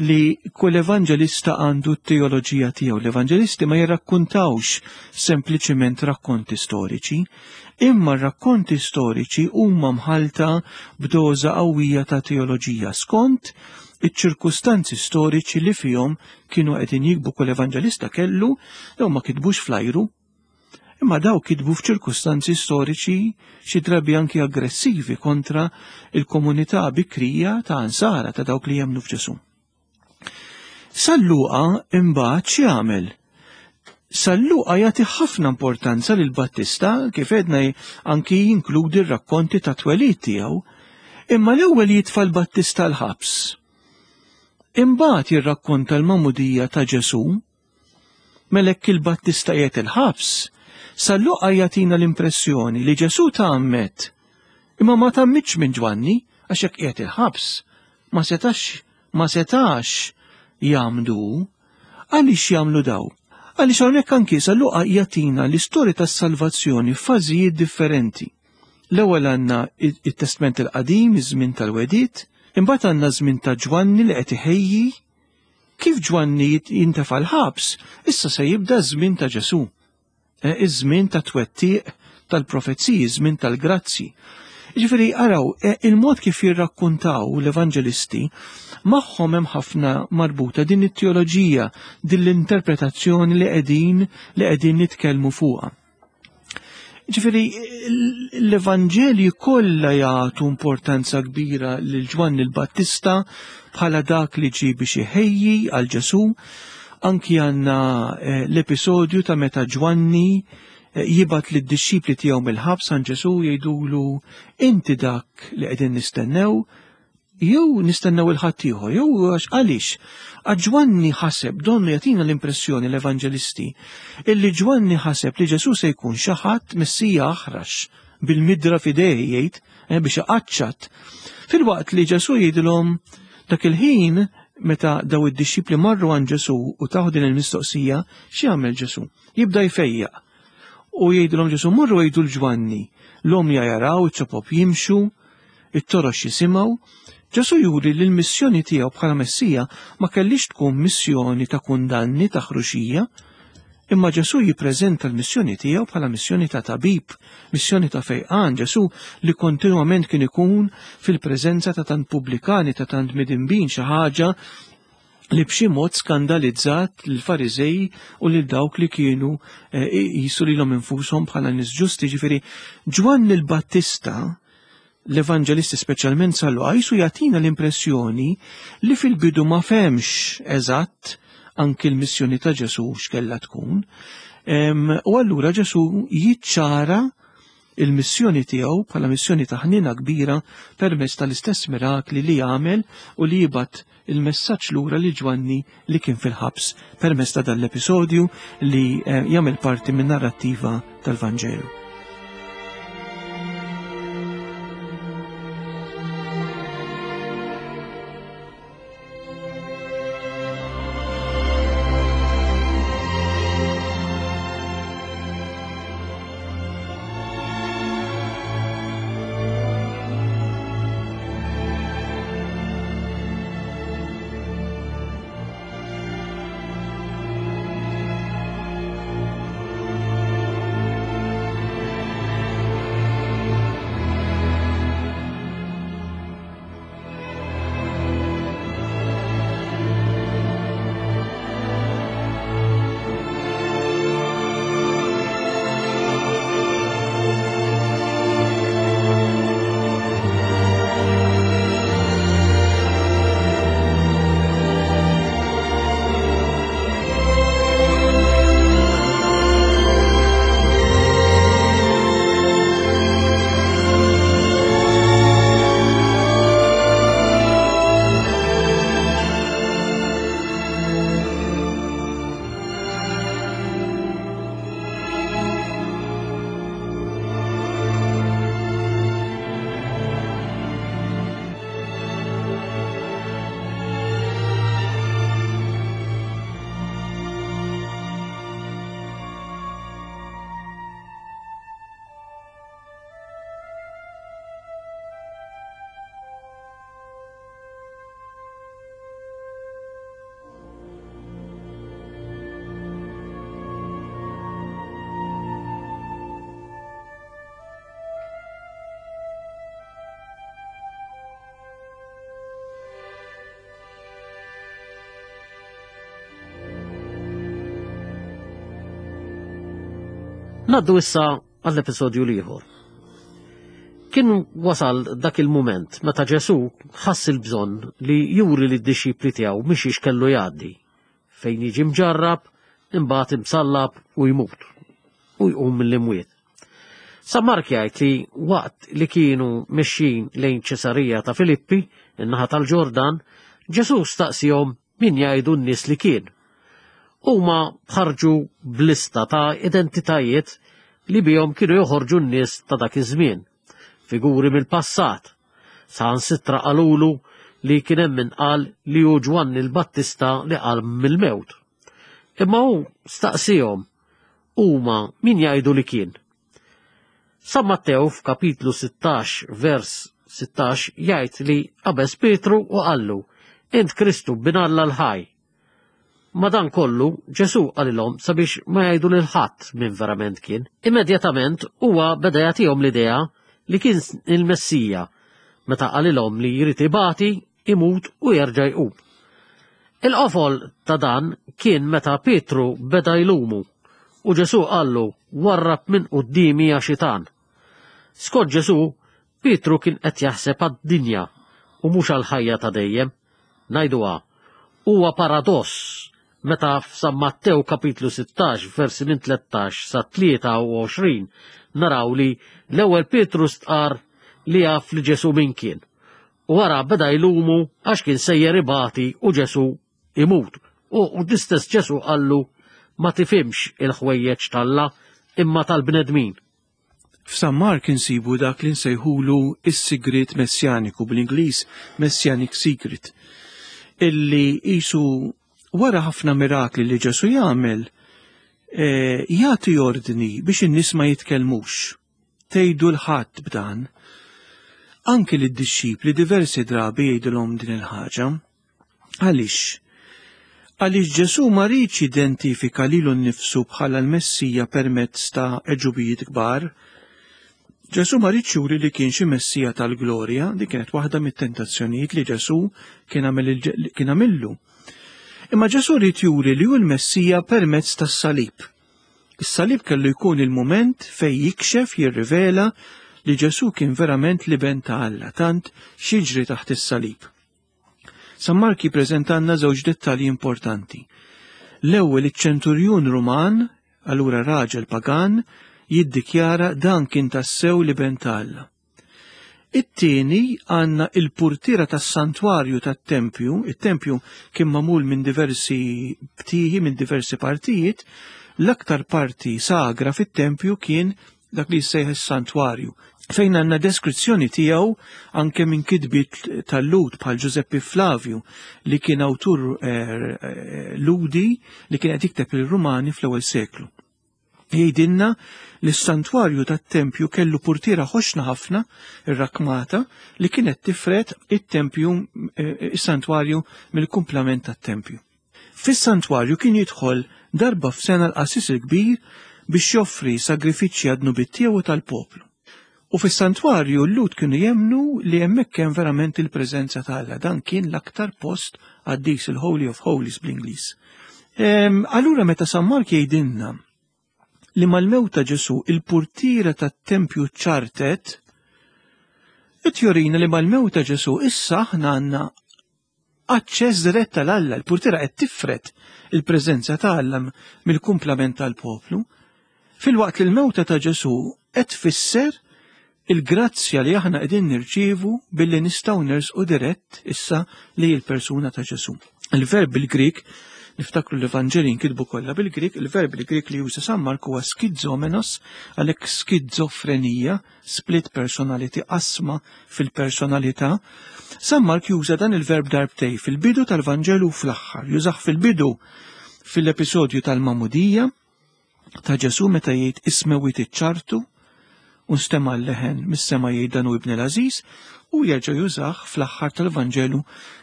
li kull evanġelista għandu t-teoloġija tiegħu. L-evanġelisti ma jirrakkuntawx sempliċiment rakkonti storiċi, imma r-rakkonti storiċi huma mħalta b'doża qawwija ta' teoloġija skont iċ-ċirkustanzi storiċi li fihom kienu qegħdin jikbu. Kull evanġelista kellu, daw ma kitbux fl-ajru, imma daw kitbu f'ċirkustanzi storiċi xi drabi anki aggressivi kontra il-komunità bikrija ta' Ansara, ta' dawk li jemmnu f'Ġesù. San Luqa imbagħad x'jagħmel? San Luqa jagħti ħafna importanza lil Battista, kif għedna anki jinkludi r-rakkonti ta' twelid tiegħu, imma l-ewwel jitfa' l-Battista l-ħabs. Imbagħad jirrakkonta l-magħmudija ta' Ġesù. Mela hekk il-Battista qiegħed il-ħabs, San Luqa jagħtina l-impressjoni li Ġesù tgħammed, imma ma tgħammidx minn Ġwanni, għax hekk qiegħed il-ħabs, ma setax, ma setax jagħmdu. Għaliex jagħmlu daw? Għaliex hawnhekk anki San Luqa jagħtina l-istorja tas-salvazzjoni f'fażijiet differenti. L-ewwel għandna it-Testment il-Qadim, iż-żmien tal-Wedid, imbagħad għandna żmien ta' Ġwanni li qed iħejji. Kif Ġwanni jintefa' l-ħabs, issa se jibda ż-żmien ta' Ġesù. Iż-żmien ta' twettiq tal-profeziji, iż-żmien tal-grazzi. Ġifieri araw, il-mod kif jirrakkuntaw l-evanġelisti magħhom hemm ħafna marbuta din it-teoloġija, din l-interpretazzjoni li qegħdin li qegħdin nitkellmu fuqha. Ġifieri l-Evanġelji kollha jagħtu importanza kbira lil Ġwanni l-Battista bħala dak li ġie biex iħejji għal Ġesù. Anki għandna l-episodju ta' meta Ġwanni jibgħat lid-dixxipli tiegħu mill-ħabs għand Ġesù jgħidulu inti dak li qegħdin nistennew, jew nistennew il-ħaddieħor, jew għax għaliex? Għax Ġwanni ħaseb, donnu jagħtina l-impressjoni l-evanġelisti, illi Ġwanni ħaseb li Ġesù se jkun xi ħadd Messija aħrax bil-midra f'idejh jgħid biex iqaċċat. Filwaqt li Ġesù jgħidilhom dak il-ħin meta daw id-dixxipli marru għand Ġesù u taħu din il-mistoqsija, x'jagħmel Ġesù? Jibda jfejjaq. U jgħidilhom Ġesù morru jgħidu l-Ġwanni, l-għomja jaraw, iċ-ċopop jimxu, it-torox jisimgħu. Ġesù juri li l-missjoni tiegħu bħala Messija ma kellix tkun missjoni ta' kundanni, ta' ħruxija, imma Ġesù jippreżenta l-missjoni tiegħu bħala missjoni ta' tabib, missjoni ta' fejqan. Ġesù li kontinwament kien ikun fil-preżenza ta' tant pubblikani, ta' tant midinbin, xi ħaġa li b'xi mod skandalizzat lill-Fariżej u lil dawk li kienu jisu lilhom infushom bħala nies ġusti. Ġifieri Ġwanni l-Battista, l-Evanġelisti speċjalment San Luqa, jisu jagħtina l-impressjoni li fil-bidu ma fehmx eżatt anki l-missjoni ta' Ġesù x'kellha tkun. U allura Ġesù jiċċara il-missjoni tiegħu bħala missjoni ta' ħniena kbira permezz tal-istess mirakli li jagħmel u li jibgħat il-messaġġ lura li Ġwanni li kien fil-ħabs permezz ta' dan l-episodju li jagħmel parti minn narrattiva tal-Vanġelu. Ngħaddu issa għall-episodju l-ieħor. Kien wasal dak il-mument meta Ġesù ħass il-bżonn li juri lid-dixxipli tiegħu mhix kellu jgħaddi, fejn jiġi mġarrab, imbagħad imsallab u jmut u jqum mill-imwiet. San Mark jgħid li waqt li kienu mexjin lejn Ċesarija ta' Filippi, in-naħa tal-Ġordan, Ġesù staqsihom min jgħidu n-nies li kien. Huma ħarġu b'lista ta' identitajiet li bihom kienu joħorġu n-nies ta' dak iż-żmien, figuri mill-passat. Saħansitra qalulu li kien hemm min qal li hu Ġwanni l-Battista li qam mill-mewt. Imma hu staqsihom huma min jgħidu li kien. San Mattew f'kapitlu sittax vers sittax jgħid li qabeż Pietru u qallu, Int Kristu bin Alla l-ħaj. Madankollu, Ġesù qalilhom sabiex ma jgħidu lil ħadd min verament kien. Immedjatament huwa beda jagħtihom l-idea li kien il-Messija meta qalilhom li jrid ibati, imut u jerġa' jqum. Il-qofol ta' dan kien meta Pietru beda jlumu u Ġesù qallu warrab minn quddiemi ja xitan. Skont Ġesù, Pietru kien qed jaħseb għad-dinja u mhux għall-ħajja ta' dejjem. Ngħiduha, huwa paradoss meta f'San Mattew kapitlu sittax versi minn tlettax sa tlieta u għoxrin naraw li l-ewwel Pietru stqar li jaf li Ġesù min kien. U wara beda jlumu għax kien sejjer ibati u Ġesù imut. U l-istess Ġesù qallu ma tifhimx il-ħwejjeġ t'Alla imma tal-bnedmin. F'San Mark insibu dak li nsejħulu is-sigriet messjaniku, bl-Ingliż Messianic Secret, illi qisu wara ħafna mirakli li Ġesù jagħmel, eh, jagħti ordni biex in-nies ma jitkellmux. Tgħidu l-ħadd b'dan. Anki lid-dixxipli diversi drabi jgħidulhom din il-ħaġa. Għaliex? Għaliex Ġesù ma riedx jidentifika lilu nnifsu bħala l-Messija permezz ta' għeġubijiet kbar. Ġesù ma riedx juri li kien xi Messija tal-glorja, din kienet waħda mit-tentazzjonijiet li Ġesù kien għamillu. Imma Ġesù ried juri li hu l-Messija permezz tas-salib. Is-salib kellu jkun il-mument fejn jikxef, jirrivela li Ġesù kien verament l-Iben ta' Alla, tant x'jiġri taħt is-salib. San Mark jippreżentanna żewġ dettalji importanti. L-ewwel iċ-ċenturjun Ruman, allura raġel pagan, jiddikjara dan kien tassew l-Iben ta' Alla. It-tieni għandna il-purtiera tas-santwarju tat-tempju. Il-tempju kien magħmul minn diversi btieħi, minn diversi partijiet. L-aktar parti sagra fit-tempju kien dak li jissejjaħ is-santwarju, fejn għandna deskrizzjoni tiegħu anke minn kitbiet tal-Lhud bħal Giuseppe Flavio, li kien awtur, eh, eh, Lhudi li kien qed jikteb il-Rumani fl-ewwel seklu. Jgħidilna li s-santwarju tat-tempju kellu purtiera ħoxna ħafna, irrakmata, li kienet tifred it-tempju, eh, is-santwarju mill-kumplament tat-tempju. Fis-santwarju kien jidħol darba f'sena l-qassis il-kbir biex joffri sagrifiċċji għad-dnubiet tiegħu tal-poplu. U fis-santwarju l-Lhud kienu jemnu li hemmhekk hemm verament il-preżenza ta' Alla. Dan kien l-aktar post qaddis, il-Holy of Holies bl-Ingliż. Ehm, allura meta San Mark jgħidilna li mal-mewt ta' Ġesù il-purtiera tat-tempju ċartet, qed jurina li mal-mewt ta' Ġesù issa aħna għandna aċċess dirett għal Alla, il-purtiera qed tifred il-preżenza ta' Alla mill-kumplament tal-poplu, filwaqt li l-mewta ta' Ġesù qed tfisser il-grazzja li aħna qegħdin nirċievu billi nistgħu nersqu dirett issa li l-persuna ta' Ġesù. Il-verb bil-Grik, niftakru l-Evanġeli nkitbu kollha bil-Grik, il-verb bil-Grik li juża San Mark huwa schizomenos, għalhekk skizofrenija, split personality, qasma fil-personalità. San Mark juża dan il-verb darbtej fil-bidu tal-Vanġelu u fl-aħħar. Jużah fil-bidu fil-episodju tal-Magħmudija ta' Ġesù meta jgħid is-smewwiet iċċartu u nstema' l-leħen mis-sema jgħid dan hu ibni l-għażiż, u jerġa' jużah fl-aħħar tal-Vanġelu,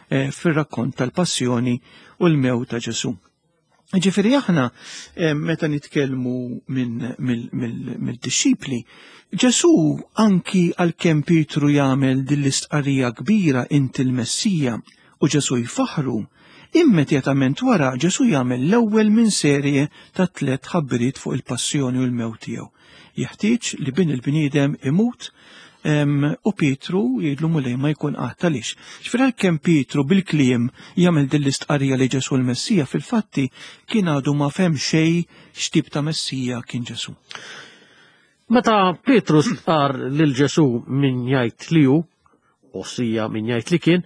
eh, fir-rakkont tal-passjoni u l-mewt ta' Ġesù. Ġifieri aħna, eh, meta nitkellmu minn mill-dixxipli, Ġesù anki għalkemm Pietru jagħmel din l-istqarrija kbira inti l-Messija u Ġesù jfaħru, Immedjatament wara Ġesù jagħmel l-ewwel minn serje ta' tliet ħabbiriet fuq il-passjoni u l-mewt tiegħu. Jeħtieġ li bin il-bniedem imut u Pietru jgħidlu Mulej ma jkun qatt għaliex. Ġifieri għalkemm Pietru bil-kliem jagħmel din l-istqarrija li Ġesù l-Messija, fil-fatti kien għadu ma fehem xejn x'tip ta' Messija kien Ġesù. Meta Pietru stqar lil Ġesù min jgħid li hu, ossia min jgħid li kien,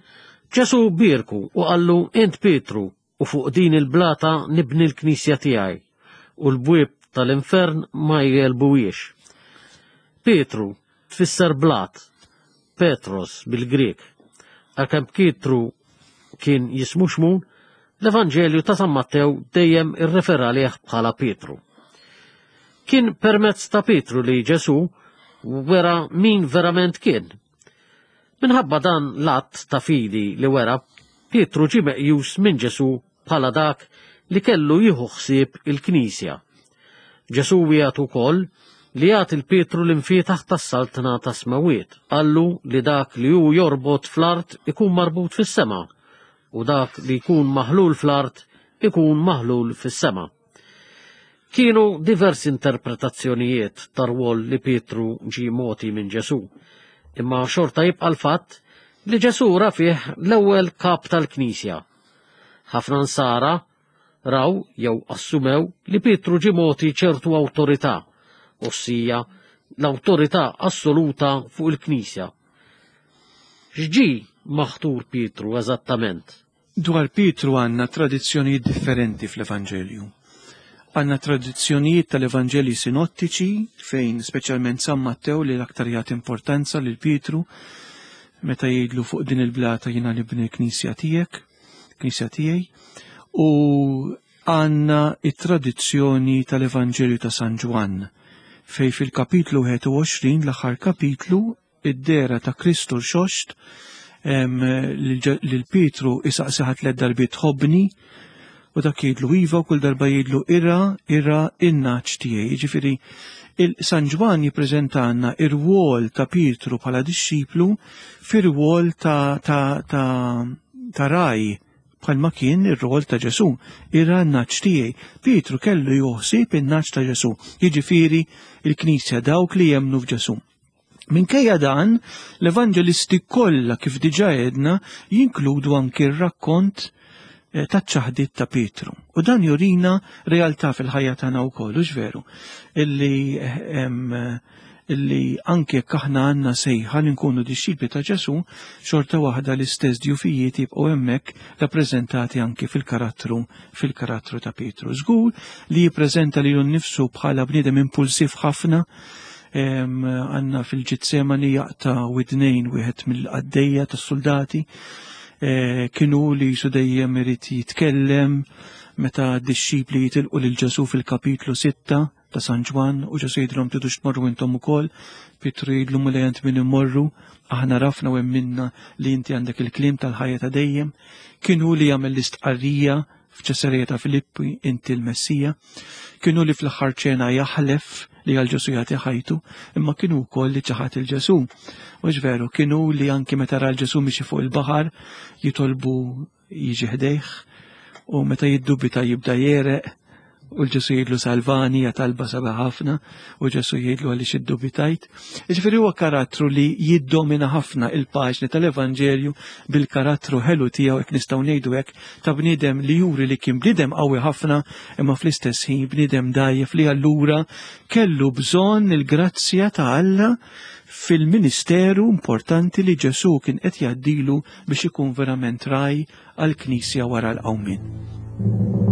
Ġesù bierku u qallu int Pietru u fuq din il-blata nibni l-knisja tiegħi u l-bwieb tal-infern ma jgħelbuhiex. Pietru tfisser blat, Petros bil-Grek. Għalkemm Pietru kien jismu Xmun, l-Evanġelju ta' San Mattew dejjem irrefera għalih bħala Pietru. Kien permezz ta' Pietru li Ġesù wera min verament kien. Minħabba dan l-att ta' fidi li wera, Pietru ġie meqjus minn Ġesù bħala dak li kellu jieħu ħsieb il-Knisja. Ġesù wiegħed ukoll li jagħti lil Pietru l-imfietaħ tas-saltna tas-smawiet. Qallu li dak li hu jorbot fl-art ikun marbut fis-sema u dak li jkun maħlul fl-art ikun maħlul fis-sema. Kienu diversi interpretazzjonijiet tar-rwol li Pietru ġie mogħti minn Ġesù, imma xorta jibqa' l-fatt li Ġesù ra fih l-ewwel kap tal-Knisja. Ħafna nsara raw jew assumew li Pietru ġie mogħti ċertu awtorità, ossia l-awtorità assoluta fuq il-Knisja. X'ġie maħtur Pietru eżattament? Dwar Pietru għandna tradizzjonijiet differenti fl-Evanġelju. Għandna tradizzjonijiet tal-Evanġelji sinottiċi fejn speċjalment San Mattew li l-aktar jagħti importanza lil Pietru meta jgħidlu fuq din il-blata jiena nibni l-knisja tiegħek, knisja tiegħi, u għandna it-tradizzjoni tal-Evanġelju ta' San Ġwann fej fil-kapitlu wieħed u għoxrin, l-aħħar kapitlu, id-dehra ta' Kristu rxoxt lil Pietru isaqsih tliet darbiet tħobbni, u dak jgħidlu iva u kull darba jgħidlu irgħa, irgħa in-nagħaġ tiegħi. Jiġifieri San Ġwann jippreżentanna ir-rwol ta' Pietru bħala dixxiplu fir-rwol ta' ta' ta' ta' ragħaj bħalma kien ir-rwol ta' Ġesù, irgħa n-nagħaġ tiegħi. Pietru kellu joħsib in-nagħaġ ta' Ġesù, jiġifieri il-Knisja, dawk li jemmnu f'Ġesù. Minkejja dan, l-evanġelisti kollha, kif diġà għedna, jinkludu anki r-rakkont eh, taċ-ċaħdiet ta' Pietru. U dan jurina realtà fil-ħajja tagħna wkoll, hux veru, illi em, illi anke jekk aħna għandna sejħa li nkunu dixxipli ta' Ġesù, xorta waħda l-istess djufijiet jibqgħu hemmhekk rappreżentati anke fil-karattru fil-karattru ta' Pietru. Żgur li jippreżenta lilu nnifsu bħala bniedem impulsiv ħafna, għandna fil-Ġetsemani jaqta' widnejn wieħed mill-qaddejja tas-soldati, e, kienu li jisu dejjem irid jitkellem meta d-dixxipli jitilqu lil Ġesù fil-kapitlu sitta ta' San Ġwann u Ġesù jgħidilhom tridux tmorru intom ukoll, Pietru jgħidlu Mulej għand min immorru, aħna għarafna u emminna li inti għandek il-kliem tal-ħajja ta' dejjem. Kienu li jagħmel l-istqarrija f'Ċesarija ta' Filippi, inti l-Messija. Kienu li fl-aħħar ċena jaħlef li għal Ġesù jagħti ħajtu, imma kienu wkoll li ċaħat lil Ġesù. Mhux veru, kienu li anki meta ra l-Ġesù miexi fuq il-baħar jitolbu jiġi ħdejh u meta jiddubita jibda jegħreq u l-Ġesù jgħidlu salvani, hija talba sabiħa ħafna, u Ġesù jgħidlu għaliex iddubitajt. Jiġifieri huwa karattru li jiddomina ħafna il-paġni tal-Evanġelju bil-karattru ħelu tiegħu, hekk nistgħu ngħidu hekk, ta' bniedem li juri li kien bniedem qawwi ħafna imma fl-istess ħin bniedem dgħajjef li allura kellu bżonn il-grazzja ta' Alla fil-ministeru importanti li Ġesù kien qed jgħaddilu biex ikun verament ragħaj għall-Knisja wara l-qawmien.